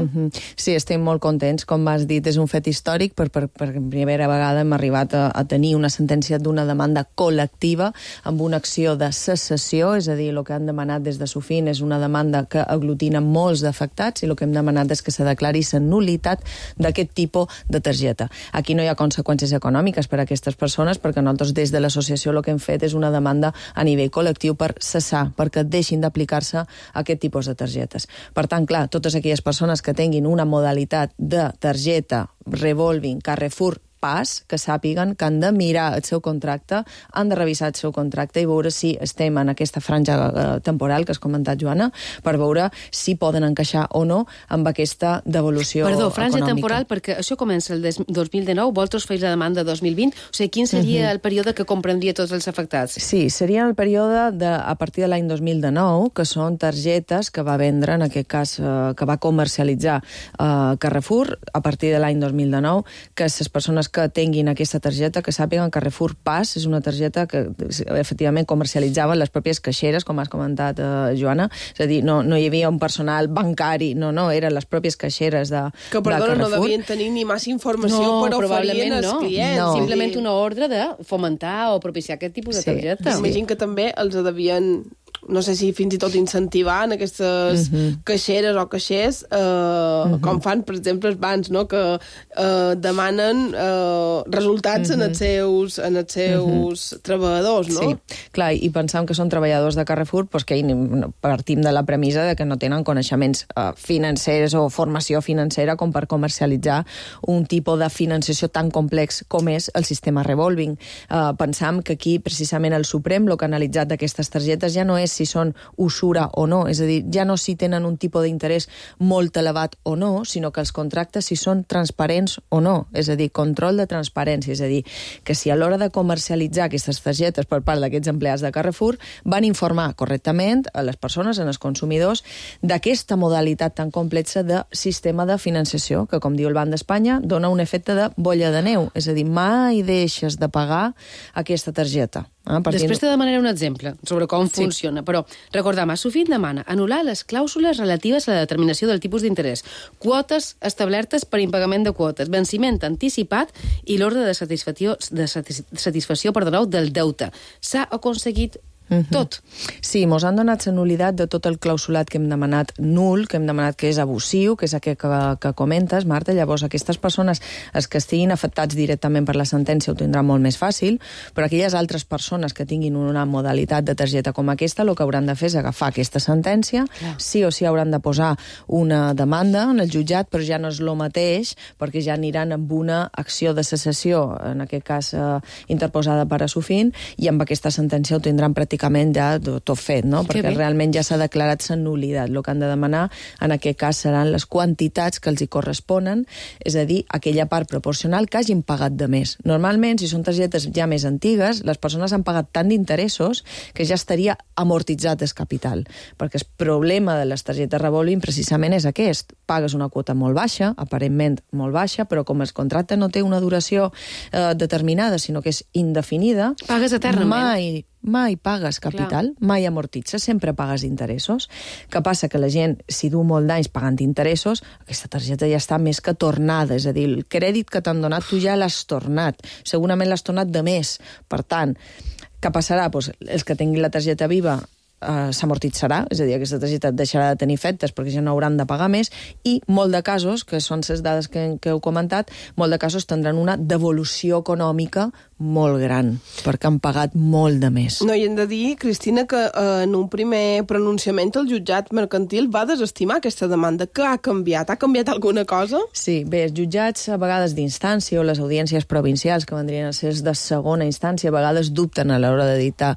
Sí, estem molt contents. Com has dit, és un fet històric. Per primera vegada hem arribat a tenir una sentència d'una demanda col·lectiva amb una acció de cessació, és a dir, el que han demanat des de SUFIN és una demanda que aglutina molts d'afectats i el que hem demanat és que se declari la nul·litat d'aquest tipus de targeta. Aquí no hi ha conseqüències econòmiques per a aquestes persones perquè nosaltres des de l'associació el que hem fet és una demanda a nivell col·lectiu per cessar, perquè deixin d'aplicar-se aquest tipus de targetes. Per tant, clar, totes aquelles persones que tinguin una modalitat de targeta revolving Carrefour Pas, que sàpiguen que han de mirar el seu contracte, han de revisar el seu contracte i veure si estem en aquesta franja temporal que has comentat, Joana, per veure si poden encaixar o no amb aquesta devolució econòmica. Perdó, franja temporal, perquè això comença el 2019, vosaltres feis la demanda 2020, o sigui, quin seria el període que comprendria tots els afectats? Sí, seria el període a partir de l'any 2019, que són targetes que va vendre, en aquest cas, que va comercialitzar Carrefour a partir de l'any 2019, que les persones que tinguin aquesta targeta, que sàpiguen que Carrefour Pas és una targeta que efectivament comercialitzaven les pròpies caixeres, com has comentat, Joana. És a dir, no hi havia un personal bancari, no, eren les pròpies caixeres de Carrefour. Que, perdona, no devien tenir ni massa informació per oferir als clients. No, simplement una ordre de fomentar o propiciar aquest tipus de targeta. Imagino que també els devien, no sé si fins i tot incentivar en aquestes caixeres o caixers, com fan, per exemple, els bancs, no?, que demanen resultats en els seus treballadors, no? Sí, clar, i pensam que són treballadors de Carrefour, doncs que partim de la premissa de que no tenen coneixements financers o formació financera com per comercialitzar un tipus de financiació tan complex com és el sistema revolving. Pensam que aquí, precisament, el Suprem, el que ha analitzat d'aquestes targetes ja no és si són usura o no, és a dir, ja no si tenen un tipus d'interès molt elevat o no, sinó que els contractes si són transparents o no, és a dir, control de transparència, és a dir, que si a l'hora de comercialitzar aquestes targetes per part d'aquests empleats de Carrefour van informar correctament a les persones, als consumidors, d'aquesta modalitat tan complexa de sistema de financiació, que, com diu el Banc d'Espanya, dona un efecte de bolla de neu, és a dir, mai deixes de pagar aquesta targeta. Després te demanaré un exemple sobre com funciona, però recordam, Sofint demana anul·lar les clàusules relatives a la determinació del tipus d'interès, quotes establertes per impagament de quotes, venciment anticipat i l'ordre de satisfacció del deute. S'ha aconseguit tot. Sí, mos han donat la nul·litat de tot el clausulat que hem demanat nul, que hem demanat que és abusiu, que és aquest que comentes, Marta. Llavors, aquestes persones, els que estiguin afectats directament per la sentència, ho tindran molt més fàcil, però aquelles altres persones que tinguin una modalitat de targeta com aquesta, el que hauran de fer és agafar aquesta sentència, sí o sí hauran de posar una demanda en el jutjat, però ja no és el mateix, perquè ja aniran amb una acció de cessació, en aquest cas interposada per a Sofint, i amb aquesta sentència ho tindran pràcticament ja tot fet, no? Perquè realment ja s'ha declarat la nul·litat. El que han de demanar en aquest cas seran les quantitats que els hi corresponen, és a dir, aquella part proporcional que hagin pagat de més. Normalment, si són targetes ja més antigues, les persones han pagat tant d'interessos que ja estaria amortitzat el capital, perquè el problema de les targetes revolving precisament és aquest. Pagues una quota molt baixa, aparentment molt baixa, però com el contracte no té una duració determinada, sinó que és indefinida, pagues eternament. Mai pagues capital, mai amortitzes, sempre pagues interessos. Què passa? Que la gent, si du molt d'anys pagant interessos, aquesta targeta ja està més que tornada, és a dir, el crèdit que t'han donat tu ja l'has tornat, segurament l'has tornat de més. Per tant, què passarà? Doncs els que tinguin la targeta viva s'amortitzarà, és a dir, aquesta targeta deixarà de tenir efectes perquè ja no hauran de pagar més, i molt de casos, que són les dades que heu comentat, molt de casos tindran una devolució econòmica molt gran, perquè han pagat molt de més. No, i hem de dir, Cristina, que en un primer pronunciament el jutjat mercantil va desestimar aquesta demanda. Què ha canviat? Ha canviat alguna cosa? Sí, bé, els jutjats a vegades d'instància o les audiències provincials, que vendrien a ser de segona instància, a vegades dubten a l'hora de dictar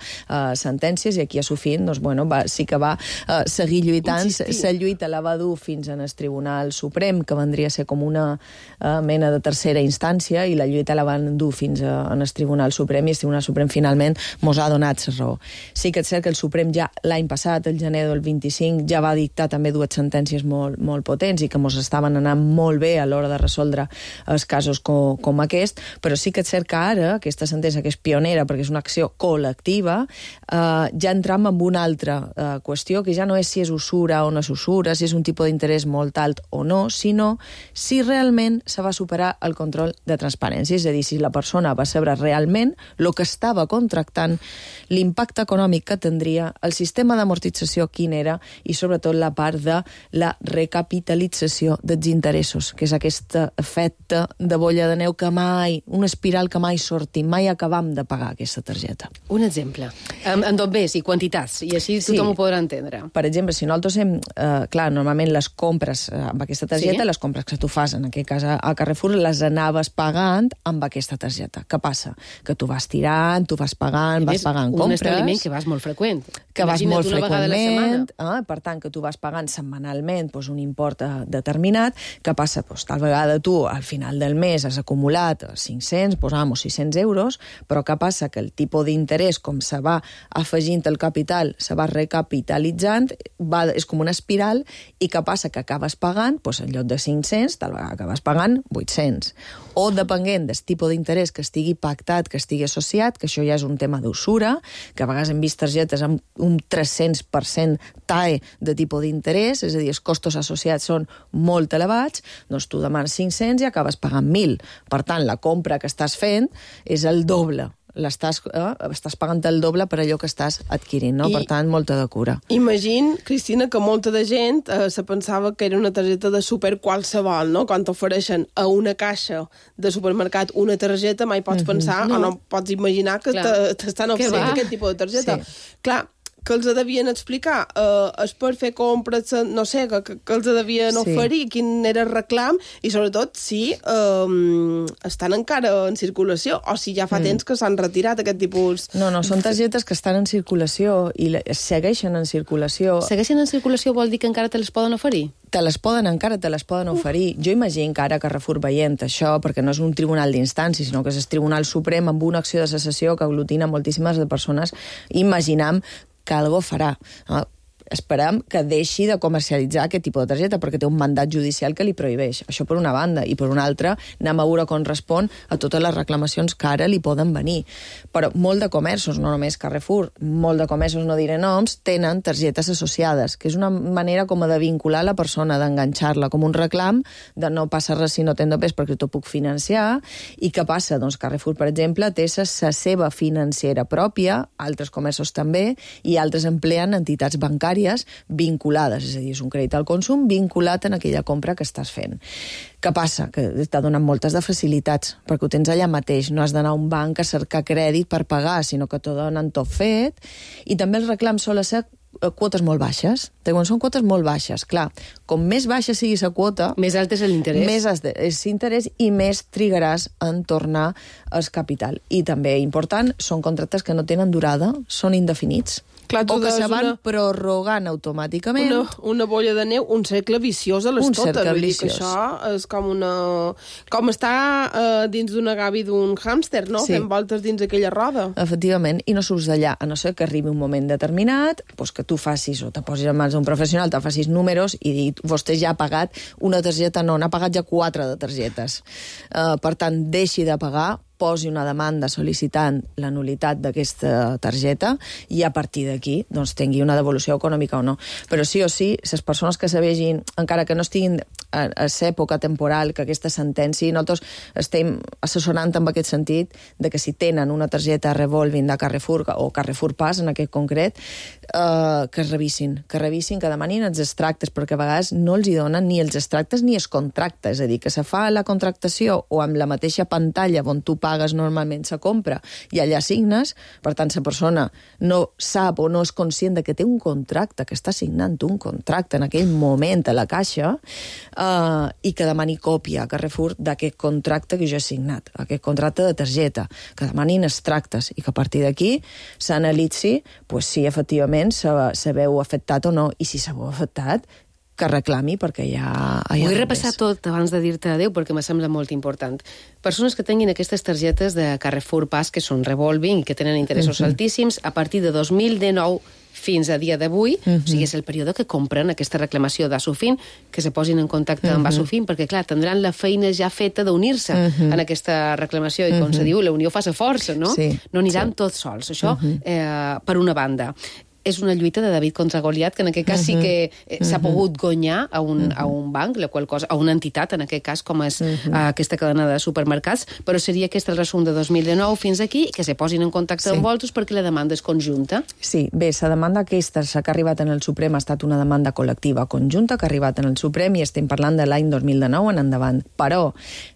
sentències, i aquí a Sofint doncs, bueno, sí que va seguir lluitant. La lluita la va dur fins en el Tribunal Suprem, que vendria a ser com una mena de tercera instància, i la lluita la van dur fins en el Tribunal Suprem, i el Tribunal Suprem finalment mos ha donat la raó. Sí que és cert que el Suprem ja l'any passat, el gener del 25, ja va dictar també dues sentències molt potents i que mos estaven anant molt bé a l'hora de resoldre els casos com aquest, però sí que és cert que ara aquesta sentència, que és pionera perquè és una acció col·lectiva, ja entram en una altra qüestió, que ja no és si és usura o no és usura, si és un tipus d'interès molt alt o no, sinó si realment se va superar el control de transparència, és a dir, si la persona va saber realment el que estava contractant, l'impacte econòmic que tindria, el sistema d'amortització quin era, i sobretot la part de la recapitalització dels interessos, que és aquest efecte de bolla de neu que mai, una espiral que mai sortim, mai acabam de pagar aquesta targeta. Un exemple. En dobbers i quantitats, i així tothom ho podrà entendre. Per exemple, si nosaltres hem... clar, normalment les compres amb aquesta targeta, les compres que tu fas, en aquest cas a Carrefour, les anaves pagant amb aquesta targeta. Què passa? Que tu vas tirant, tu vas pagant compres. Un establiment que vas molt freqüent. Que vas molt freqüentment, per tant, que tu vas pagant setmanalment un import determinat. Què passa? Tal vegada tu, al final del mes, has acumulat 500, posamos 600 euros, però què passa? Que el tipus d'interès, com se va afegint el capital, se va recapitalitzant, és com una espiral, i què passa? Que acabes pagant, en lloc de 500, tal vegada acabes pagant 800. O, depenent del tipus d'interès que estigui pactat, que estigui associat, que això ja és un tema d'usura, que a vegades hem vist targetes amb un 300% TAE de tipus d'interès, és a dir, els costos associats són molt elevats, doncs tu demanes 500 i acabes pagant 1.000. Per tant, la compra que estàs fent és el doble. Estàs pagant el doble per allò que estàs adquirint, no? Per tant, molta de cura. Imagina, Cristina, que molta de gent se pensava que era una targeta de súper qualsevol, no? Quan t'ofereixen a una caixa de supermercat una targeta, mai pots pensar o no pots imaginar que t'estan oferint aquest tipus de targeta. Clar, que els devien explicar, és per fer compres, no sé, que els devien oferir, quin era el reclam, i sobretot si estan encara en circulació, o si ja fa temps que s'han retirat aquest tipus... No, són targetes que estan en circulació i segueixen en circulació. Segueixen en circulació vol dir que encara te les poden oferir? Encara te les poden oferir. Jo imagino que ara Carrefour veient això, perquè no és un tribunal d'instància, sinó que és el Tribunal Suprem amb una acció de secessió que aglutina moltíssimes de persones, imaginam que algo farà. Esperem que deixi de comercialitzar aquest tipus de targeta, perquè té un mandat judicial que li prohibeix. Això per una banda. I per una altra, anem a veure com respon a totes les reclamacions que ara li poden venir. Però molt de comerços, no només Carrefour, molt de comerços, no diré noms, tenen targetes associades, que és una manera com de vincular la persona, d'enganxar-la com un reclam, de no passa res si no t'endopes perquè t'ho puc financiar. I què passa? Doncs Carrefour, per exemple, té la seva financera pròpia, altres comerços també, i altres empleen entitats bancàries vinculades, és a dir, és un crèdit al consum vinculat en aquella compra que estàs fent. Què passa? Que t'ha donat moltes de facilitats, perquè ho tens allà mateix, no has d'anar a un banc a cercar crèdit per pagar, sinó que t'ho donen tot fet, i també els reclams solen ser quotes molt baixes. Quan són quotes molt baixes, clar, com més baixa sigui la quota... Més alt és l'interès. Més és l'interès i més trigaràs en tornar al capital. I també, important, són contractes que no tenen durada, són indefinits. Clar, o que se van prorrogant automàticament. Una bolla de neu, un cercle viciós a les totes. Vull dir que això és com una... Com estar dins d'una gavi d'un hàmster, no? Sí. Fent voltes dins aquella roda. Efectivament, i no surts d'allà, a no ser que arribi un moment determinat, doncs que tu facis, o te posis en mans d'un professional, te facis números i vostè ja ha pagat una targeta, no, n'ha pagat ja 4 de targetes. Per tant, deixi de pagar, posi una demanda sol·licitant la nulitat d'aquesta targeta i a partir d'aquí doncs, tingui una devolució econòmica o no. Però sí o sí, les persones que se vegin, encara que no estiguin a l'època temporal que aquesta sentència, nosaltres estem assessorant en aquest sentit de que si tenen una targeta revolving de Carrefour o Carrefour Pass en aquest concret, que es revisin, que demanin els extractes, perquè a vegades no els hi donen ni els extractes ni els contractes, és a dir, que se fa la contractació o amb la mateixa pantalla on tu pagues normalment la compra i allà signes, per tant la persona no sap o no és conscient de que té un contracte, que està signant un contracte en aquell moment a la caixa, i que demani còpia a Carrefour d'aquest contracte que jo he signat, aquest contracte de targeta, que demanin extractes i que a partir d'aquí s'analitzi si efectivament se veu afectat o no, i si se veu afectat, que reclami, perquè ja... Vull repassar tot abans de dir-te adéu, perquè me sembla molt important. Persones que tinguin aquestes targetes de Carrefour Pass, que són revolving i que tenen interessos altíssims, a partir de 2019 fins a dia d'avui, o sigui, és el període que compren aquesta reclamació d'Asofin, que se posin en contacte amb Asofin, perquè, clar, tindran la feina ja feta d'unir-se en aquesta reclamació, i com se diu, la unió fa la força, no? Sí. No aniran tots sols. Això, per una banda. És una lluita de David contra Goliat, que en aquest cas sí que s'ha pogut guanyar a un banc, la qual cosa, a una entitat, en aquest cas, com és aquesta cadena de supermercats, però seria aquest el resum de 2019 fins aquí, que se posin en contacte amb vosaltres perquè la demanda és conjunta. Sí, bé, la demanda aquesta que ha arribat en el Suprem ha estat una demanda col·lectiva conjunta que ha arribat en el Suprem i estem parlant de l'any 2019 en endavant. Però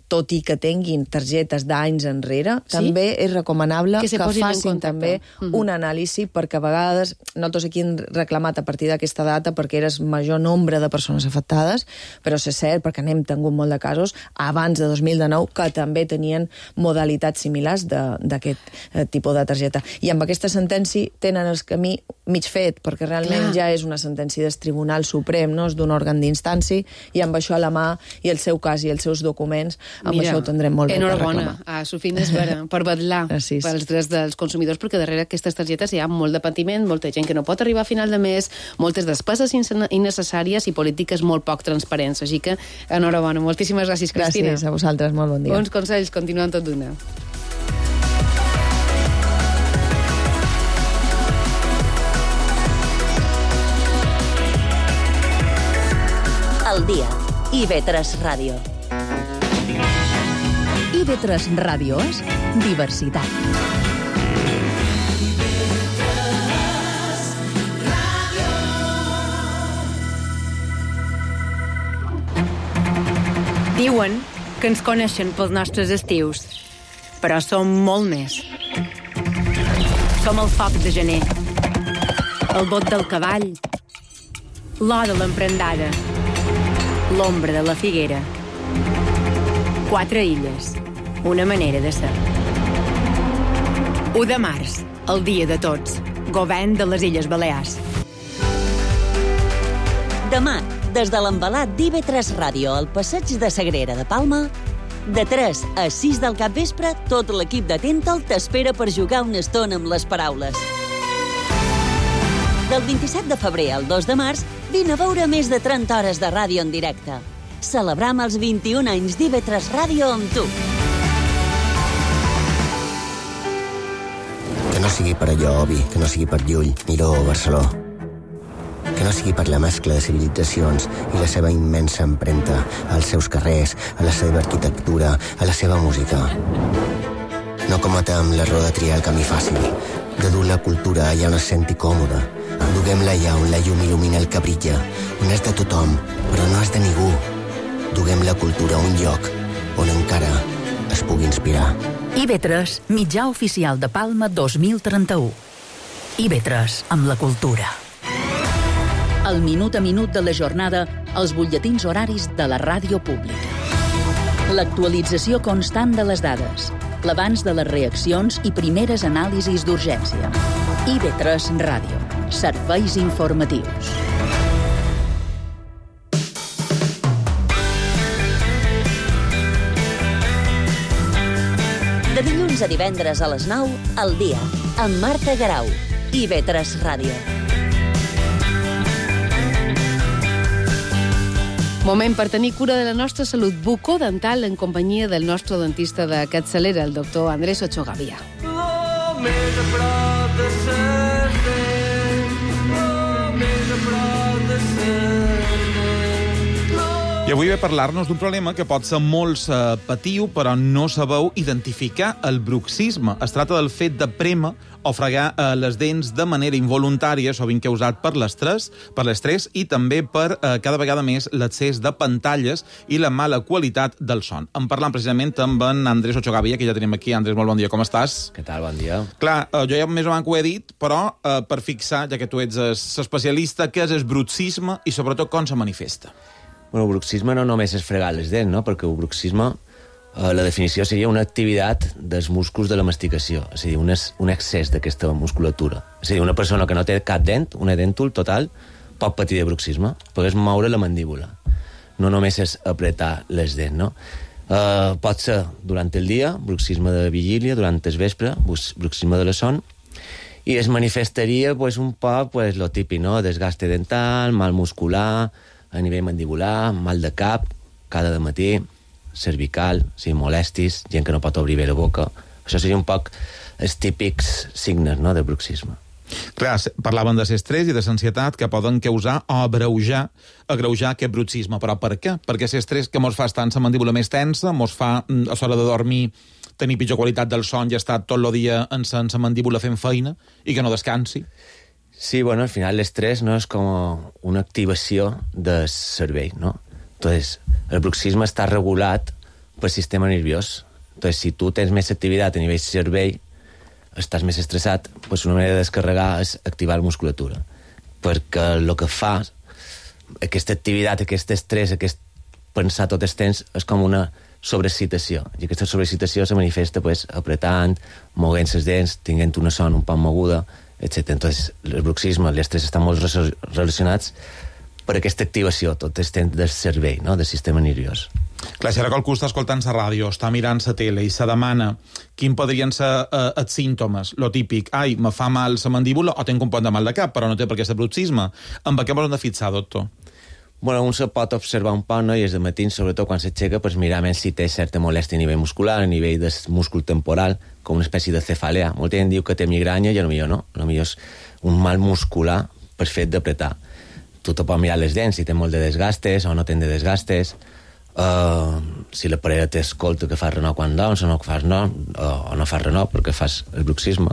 tot i que tinguin targetes d'anys enrere, també és recomanable que facin també un anàlisi, perquè a vegades nosaltres aquí hem reclamat a partir d'aquesta data perquè era el major nombre de persones afectades, però és cert, perquè n'hem tingut molt de casos abans de 2019 que també tenien modalitats similars d'aquest tipus de targeta. I amb aquesta sentència tenen el camí mig fet, perquè realment ja és una sentència del Tribunal Suprem, no és d'un òrgan d'instància, i amb això a la mà, i el seu cas i els seus documents, amb això ho tindrem molt bé per reclamar. Enhorabona a Sofina Esvera per vetllar pels drets dels consumidors, perquè darrere d'aquestes targetes hi ha molt de patiment, molta gent que no pot arribar a final de mes, moltes despeses innecessàries i polítiques molt poc transparents. Així que, enhorabona. Moltíssimes gràcies, Cristina. Gràcies a vosaltres, molt bon dia. Bons consells, continuem tot d'una. El dia. IB3 Ràdio. IB3 Ràdio és diversitat. Diuen que ens coneixen pels nostres estius, però som molt més. Som el foc de gener, el bot del cavall, l'o de l'emprendada, l'ombra de la figuera. 4 illes, una manera de ser. 1 de març, el dia de tots, govern de les Illes Balears. Demà, des de l'embalat d'IV3 Ràdio al passeig de Sagrera de Palma, de 3 a 6 del capvespre, tot l'equip de Tental t'espera per jugar una estona amb les paraules. Del 27 de febrer al 2 de març, vine a veure més de 30 hores de ràdio en directe. Celebram els 21 anys d'IV3 Ràdio amb tu. Que no sigui per allò, Obi, que no sigui per Llull, Miró o Barceló. Que no sigui per la mescla de civilitzacions i la seva immensa empremta als seus carrers, a la seva arquitectura, a la seva música. No cometem l'error de triar el camí fàcil, de dur la cultura allà on es senti còmode. Duguem-la allà on la llum il·lumina el que brilla, on és de tothom, però no és de ningú. Duguem la cultura a un lloc on encara es pugui inspirar. IB3, mitjà oficial de Palma 2031. IB3, amb la cultura. El minut a minut de la jornada, els butlletins horaris de la ràdio pública. L'actualització constant de les dades, l'abans de les reaccions i primeres anàlisis d'urgència. IB3 Ràdio. Serveis informatius. De dilluns a divendres a les 9, al dia, amb Marta Garau. IB3 Ràdio. Moment per tenir cura de la nostra salut bucodental en companyia del nostre dentista de capçalera, el doctor Andrés Ochogavia. I avui ve a parlar-nos d'un problema que pot ser molt patiu, però no sabeu identificar el bruxisme. Es tracta del fet de prémer o fregar les dents de manera involuntària, sovint causat per l'estrès i també per cada vegada més l'accés de pantalles i la mala qualitat del son. En parlant precisament amb en Andrés Ochogavia, que ja tenim aquí. Andrés, molt bon dia, com estàs? Què tal, bon dia. Clar, jo ja més o menys ho he dit, però per fixar, ja que tu ets especialista, què és el bruxisme i sobretot com se manifesta? Bueno, el bruxisme no només és fregar les dents, no? Perquè el bruxisme, la definició seria una activitat dels músculs de la masticació, és a dir, un excés d'aquesta musculatura. És a dir, una persona que no té cap dent, una dèntul total, pot patir de bruxisme, perquè moure la mandíbula. No només és apretar les dents, no? Pot ser durant el dia, bruxisme de vigília, durant el vespre, bruxisme de la son, i es manifestaria un poc lo típic, no? Desgaste dental, mal muscular, a nivell mandibular, mal de cap, cada dematí, cervical, molestis, gent que no pot obrir bé la boca. Això seria un poc els típics signes, no?, de bruxisme. Clar, parlaven de l'estrès i de l'ansietat que poden causar o agreujar aquest bruxisme. Però per què? Perquè l'estrès que mos fa estar amb la mandíbula més tensa, mos fa, a l'hora de dormir, tenir pitjor qualitat del son i estar tot el dia amb la mandíbula fent feina i que no descansi. Sí, bueno, al final l'estrès no és com una activació del cervell, ¿no? Entonces, el bruxisme està regulat pel sistema nerviós. Entonces, si tu tens més activitat a nivell cervell, estàs més estressat, una manera de descarregar és activar la musculatura. Perquè el que fa aquesta activitat, aquest estrès, aquest pensar tot el temps, és com una sobreexcitació. I aquesta sobreexcitació se manifesta apretant, moguent les dents, tinguent una son un poc moguda, etc. Entonces, el bruxisme i l'estrès estan molt relacionats per aquesta activació tot el temps del cervell, no?, del sistema nerviós. Clar, si ara qualcú està escoltant la ràdio, està mirant la tele i se demana quin podrien ser els símptomes, lo típic, me fa mal la mandíbula o tinc un pont de mal de cap, però no té per què ser bruxisme. Amb què m'ho hem de fixar, doctor? Bueno, un se pot observar un poc, no?, i és de matí, sobretot quan s'aixeca, mirar més si té certa molèstia a nivell muscular, a nivell del múscul temporal, com una espècie de cefalea. Molta gent diu que té migranya i potser no. Potser és un mal muscular per fet d'apretar. Tu te pots mirar les dents, si té molt de desgastes o no té de desgastes, si la parella t'escolta que fas renor quan dorms o no fas renor, o no fas renor perquè fas el bruxisme.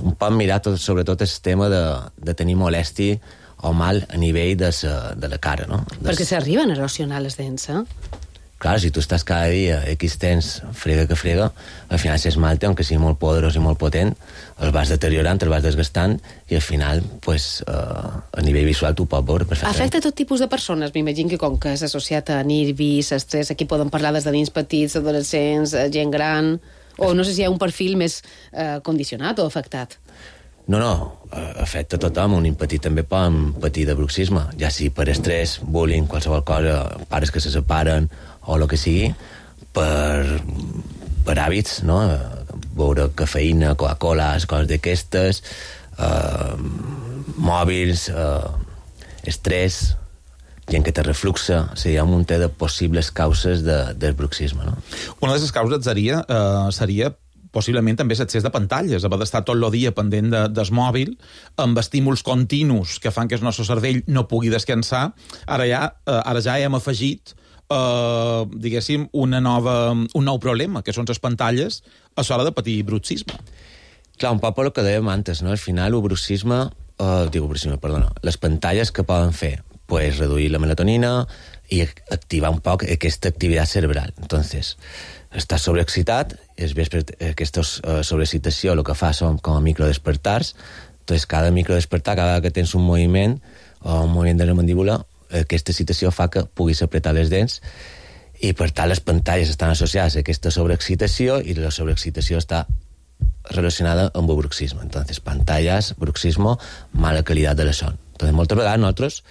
Un pot mirar sobretot el tema de tenir molèstia o mal a nivell de la cara, no? Perquè s'arriben a erosionar les dents, eh? Clar, si tu estàs cada dia X temps frega que frega, al final si esmalte, aunque sigui molt poderós i molt potent, el vas deteriorant, el vas desgastant, i al final, pues, a nivell visual tu pots veure perfectament. Afecta tot tipus de persones, m'imagino que com que és associat a nervis, estrès, aquí poden parlar des de nens petits, adolescents, gent gran, o no sé si hi ha un perfil més condicionat o afectat. No, afecta a tothom. Un nen petit també poden patir de bruxisme, ja sigui per estrès, bullying, qualsevol cosa, pares que se separen, o el que sigui, per hàbits, no? Beure cafeïna, Coca-Cola, coses d'aquestes, mòbils, estrès, gent que té refluxe, o sigui, hi ha un munt de possibles causes del bruxisme, no? Una de les causes seria possiblement també l'excés de pantalles, haver d'estar tot el dia pendent del mòbil, amb estímuls continus que fan que el nostre cervell no pugui descansar. Ara ja hem afegit diguéssim, un nou problema, que són les pantalles a l'hora de patir bruxisme. Clar, un poc el que dèiem antes, no? Al final, les pantalles que poden fer, pues reduir la melatonina i activar un poc aquesta activitat cerebral. Entonces, estàs sobreexcitat, aquesta sobreexcitació el que fa són com a microdespertars. Entonces, cada microdespertar, cada que tens un moviment de la mandíbula, aquesta excitació fa que puguis apretar les dents, i per tant les pantalles estan associades a aquesta sobreexcitació, i la sobreexcitació està relacionada amb el bruxisme. Entonces, pantallas, bruxismo, mala calidad de la son. Entonces, moltes vegades nosaltres,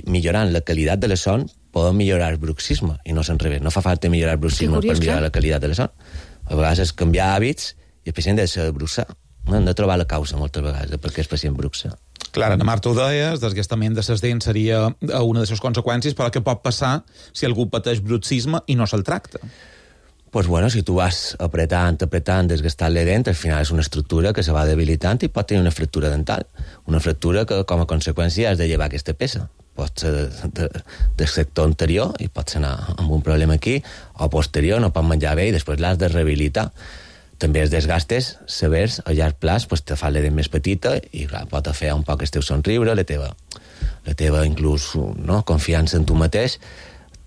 millorant la qualitat de la son, podem millorar el bruxisme, i no s'enrevés. No fa falta millorar el bruxisme per millorar la qualitat de la son. A vegades és canviar hàbits, i el pacient ha de bruxar. Hem de trobar la causa moltes vegades de per què el pacient bruxa. Clar, Ana Marta ho deia, el desgastament de les dents seria una de les conseqüències, però què pot passar si algú pateix bruxisme i no se'l tracta? Pues bueno, si tu vas apretant, desgastant la dent, al final és una estructura que se va debilitant i pot tenir una fractura dental. Una fractura que, com a conseqüència, has de llevar aquesta peça. Pot ser del sector anterior i pots anar amb un problema aquí, o posterior, no pot menjar bé i després l'has de rehabilitar. També els desgastes severs a llarg plaç pues, te fa la dent més petita i clar, pot fer un poc el teu somriure, la teva inclús confiança en tu mateix.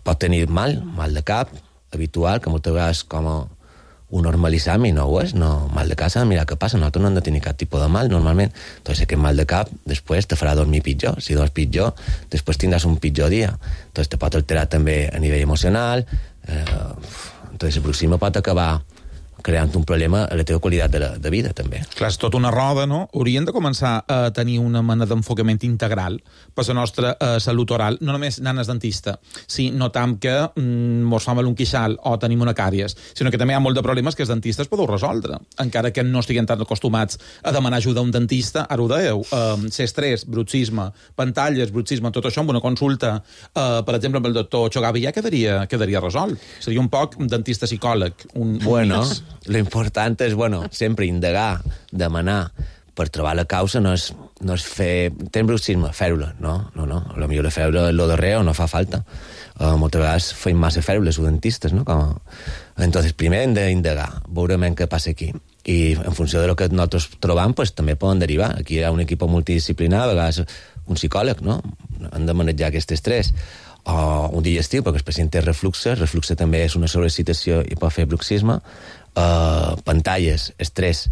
Pot tenir mal de cap habitual, que moltes vegades com ho normalitzam i no ho és, mal de cap, mira què passa, nosaltres no hem de tenir cap tipus de mal normalment. Entonces aquest mal de cap després te farà dormir pitjor, si dors pitjor després tindràs un pitjor dia, entonces te pot alterar també a nivell emocional. Entonces el bruxisme pot acabar creant un problema a la teva qualitat de vida, també. Clar, és tota una roda, no? Hauríem de començar a tenir una mena d'enfocament integral per la nostra salut oral, no només anant al dentista, si notam que mos fa mal un queixal o tenim una càries, sinó que també hi ha molt de problemes que els dentistes podeu resoldre, encara que no estiguem tan acostumats a demanar ajuda a un dentista. Ara ho dèieu, estrès, bruxisme, pantalles, bruxisme, tot això amb una consulta, per exemple, amb el doctor Chogavi ja quedaria resolt. Seria un poc un dentista-psicòleg, un mix. Lo important és, sempre indagar, demanar, per trobar la causa no és fer... Tens bruxisme, fèr-lo, no. A millor fer-lo lo darrer o no fa falta. Moltes vegades feim massa fèr-los els dentistes, no? Entonces, primer hem d'indagar, veure què passa aquí. I en funció de lo que nosaltres trobam, pues, també poden derivar. Aquí hi ha un equip multidisciplinar, a vegades un psicòleg, no? Han de manejar aquest estrès. O un digestiu, perquè el pacient té refluxe també és una sobreexcitació i pot fer bruxisme. Pantalles, estrès,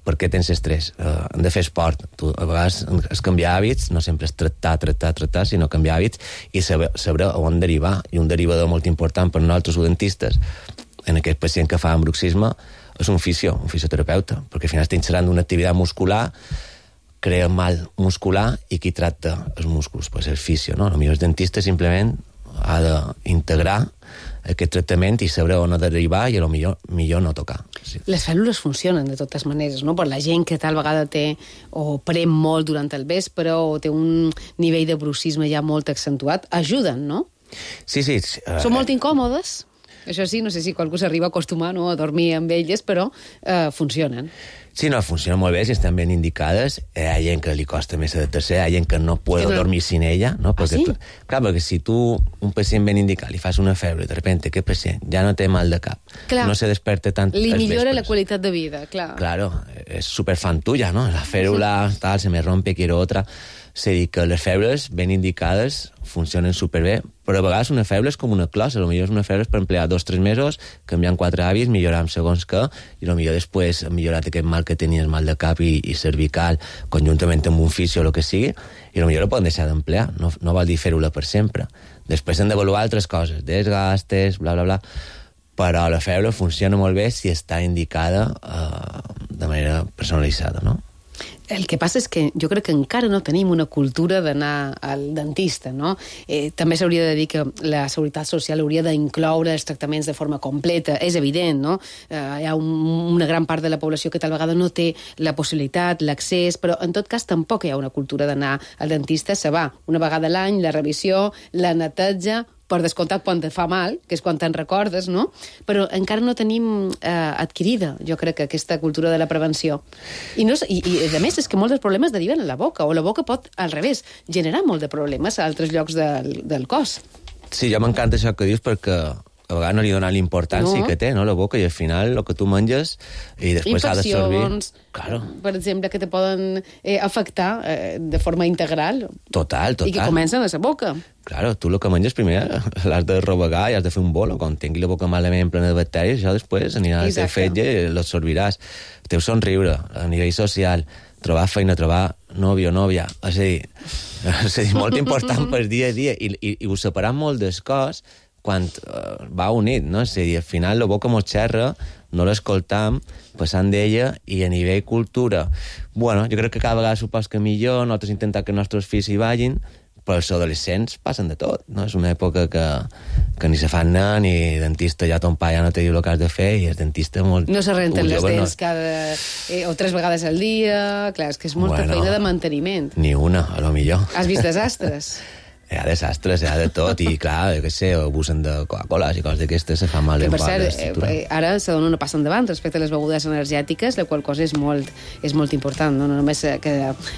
per què tens estrès? Hem de fer esport. A vegades és canviar hàbits, no sempre és tractar, sinó canviar hàbits i saber on derivar. I un derivador molt important per nosaltres dentistes en aquest pacient que fa bruxisme és un fisioterapeuta, perquè al final estem xerrant d'una activitat muscular, crea mal muscular i qui tracta els músculs? Pues el fisio, no? Potser el dentista simplement ha d'integrar aquest tractament i saber on ha d'arribar i millor no tocar. Sí. Les cèl·lules funcionen de totes maneres, no? Per la gent que tal vegada té o pren molt durant el vespre o té un nivell de bruxisme ja molt accentuat, ajuden, no? Sí. Són molt incòmodes. Això sí, no sé si qualcú s'arriba a acostumar a dormir amb elles, però funcionen. Sí, funcionen molt bé, si estan ben indicades. Hi ha gent que li costa més adaptar-se, hi ha gent que no pot dormir sin ella, no? Perquè, clar, perquè si tu, un pacient ben indicat, li fas una febre, de repente aquest pacient ja no té mal de cap, no se desperta tant li millora la qualitat de vida, clar. Claro, es superfan tuya, ¿no? La férula, tal, se me rompe, quiero otra. És a dir, que les febres ben indicades funcionen superbé, però a vegades una febre és com una closa, potser és una febre per emplear 2 o 3 mesos, canviant 4 hàbits, millorar amb segons què, i potser després ha millorat aquest mal que tenies, mal de cap i cervical, conjuntament amb un fisio o el que sigui, i potser ho poden deixar d'emplear, no vol dir fer-ho-la per sempre. Després hem d'avaluar altres coses, desgastes, bla, bla, bla, però la febre funciona molt bé si està indicada de manera personalitzada, no? El que passa és que jo crec que encara no tenim una cultura d'anar al dentista, no? També s'hauria de dir que la Seguretat Social hauria d'incloure els tractaments de forma completa. És evident, no? Hi ha una gran part de la població que tal vegada no té la possibilitat, l'accés, però en tot cas tampoc hi ha una cultura d'anar al dentista. Se va una vegada a l'any, la revisió, la neteja, per descomptat quan te fa mal, que és quan te'n recordes, no? Però encara no tenim adquirida, jo crec, aquesta cultura de la prevenció. I a més, és que molts dels problemes deriven a la boca, o la boca pot, al revés, generar molt de problemes a altres llocs del cos. Sí, ja m'encanta això que dius, perquè a vegades no li dona l'importància que té, no, la boca, i al final el que tu menges i després ha d'absorbir... Infeccions, per exemple, que te poden afectar de forma integral. Total. I que comencen a la boca. Claro, tu el que menges primer l'has de rovegar i has de fer un bolo. Quan tingui la boca malament plena de bacteris, això després anirà a ser fetge i l'absorbiràs. El teu somriure, a nivell social, trobar feina, trobar nòvio o nòvia, és a dir, molt important per dia a dia, i ho separar molt del cos quan va unit, no? És a dir, al final la boca mos xerra, no l'escoltam, passant d'ella, i a nivell cultura, bueno, jo crec que cada vegada supos que millor, nosaltres intentem que els nostres fills hi vagin, però els adolescents passen de tot, no? És una època que ni se fan anar, ni dentista, ja ton pa ja no te diu el que has de fer, i el dentista molt... No se renten les dents o 3 vegades al dia, clar, és que és molta feina de manteniment. Ni una, a lo millor. Has vist desastres? Hi ha desastres, hi ha de tot, i clar, jo què sé, abusen de Coca-Cola i coses d'aquestes, se fa mal que, en per cert, ara se dona una passa endavant respecte a les begudes energètiques, la qual cosa és molt important, no només que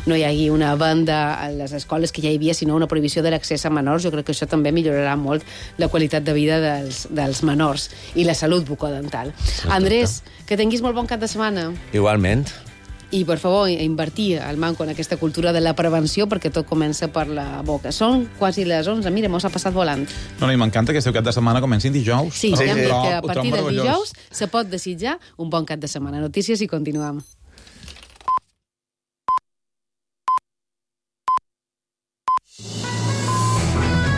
no hi hagi una venda a les escoles que ja hi havia, sinó una prohibició de l'accés a menors. Jo crec que això també millorarà molt la qualitat de vida dels menors i la salut bucodental. Andrés, que tinguis molt bon cap de setmana. Igualment. I, per favor, invertir el manco en aquesta cultura de la prevenció, perquè tot comença per la boca. Són quasi les 11. Mira, mos ha passat volant. No, i m'encanta que este cap de setmana comencin dijous. Sí, ja hem dit que a partir del dijous se pot desitjar un bon cap de setmana. Notícies i continuem.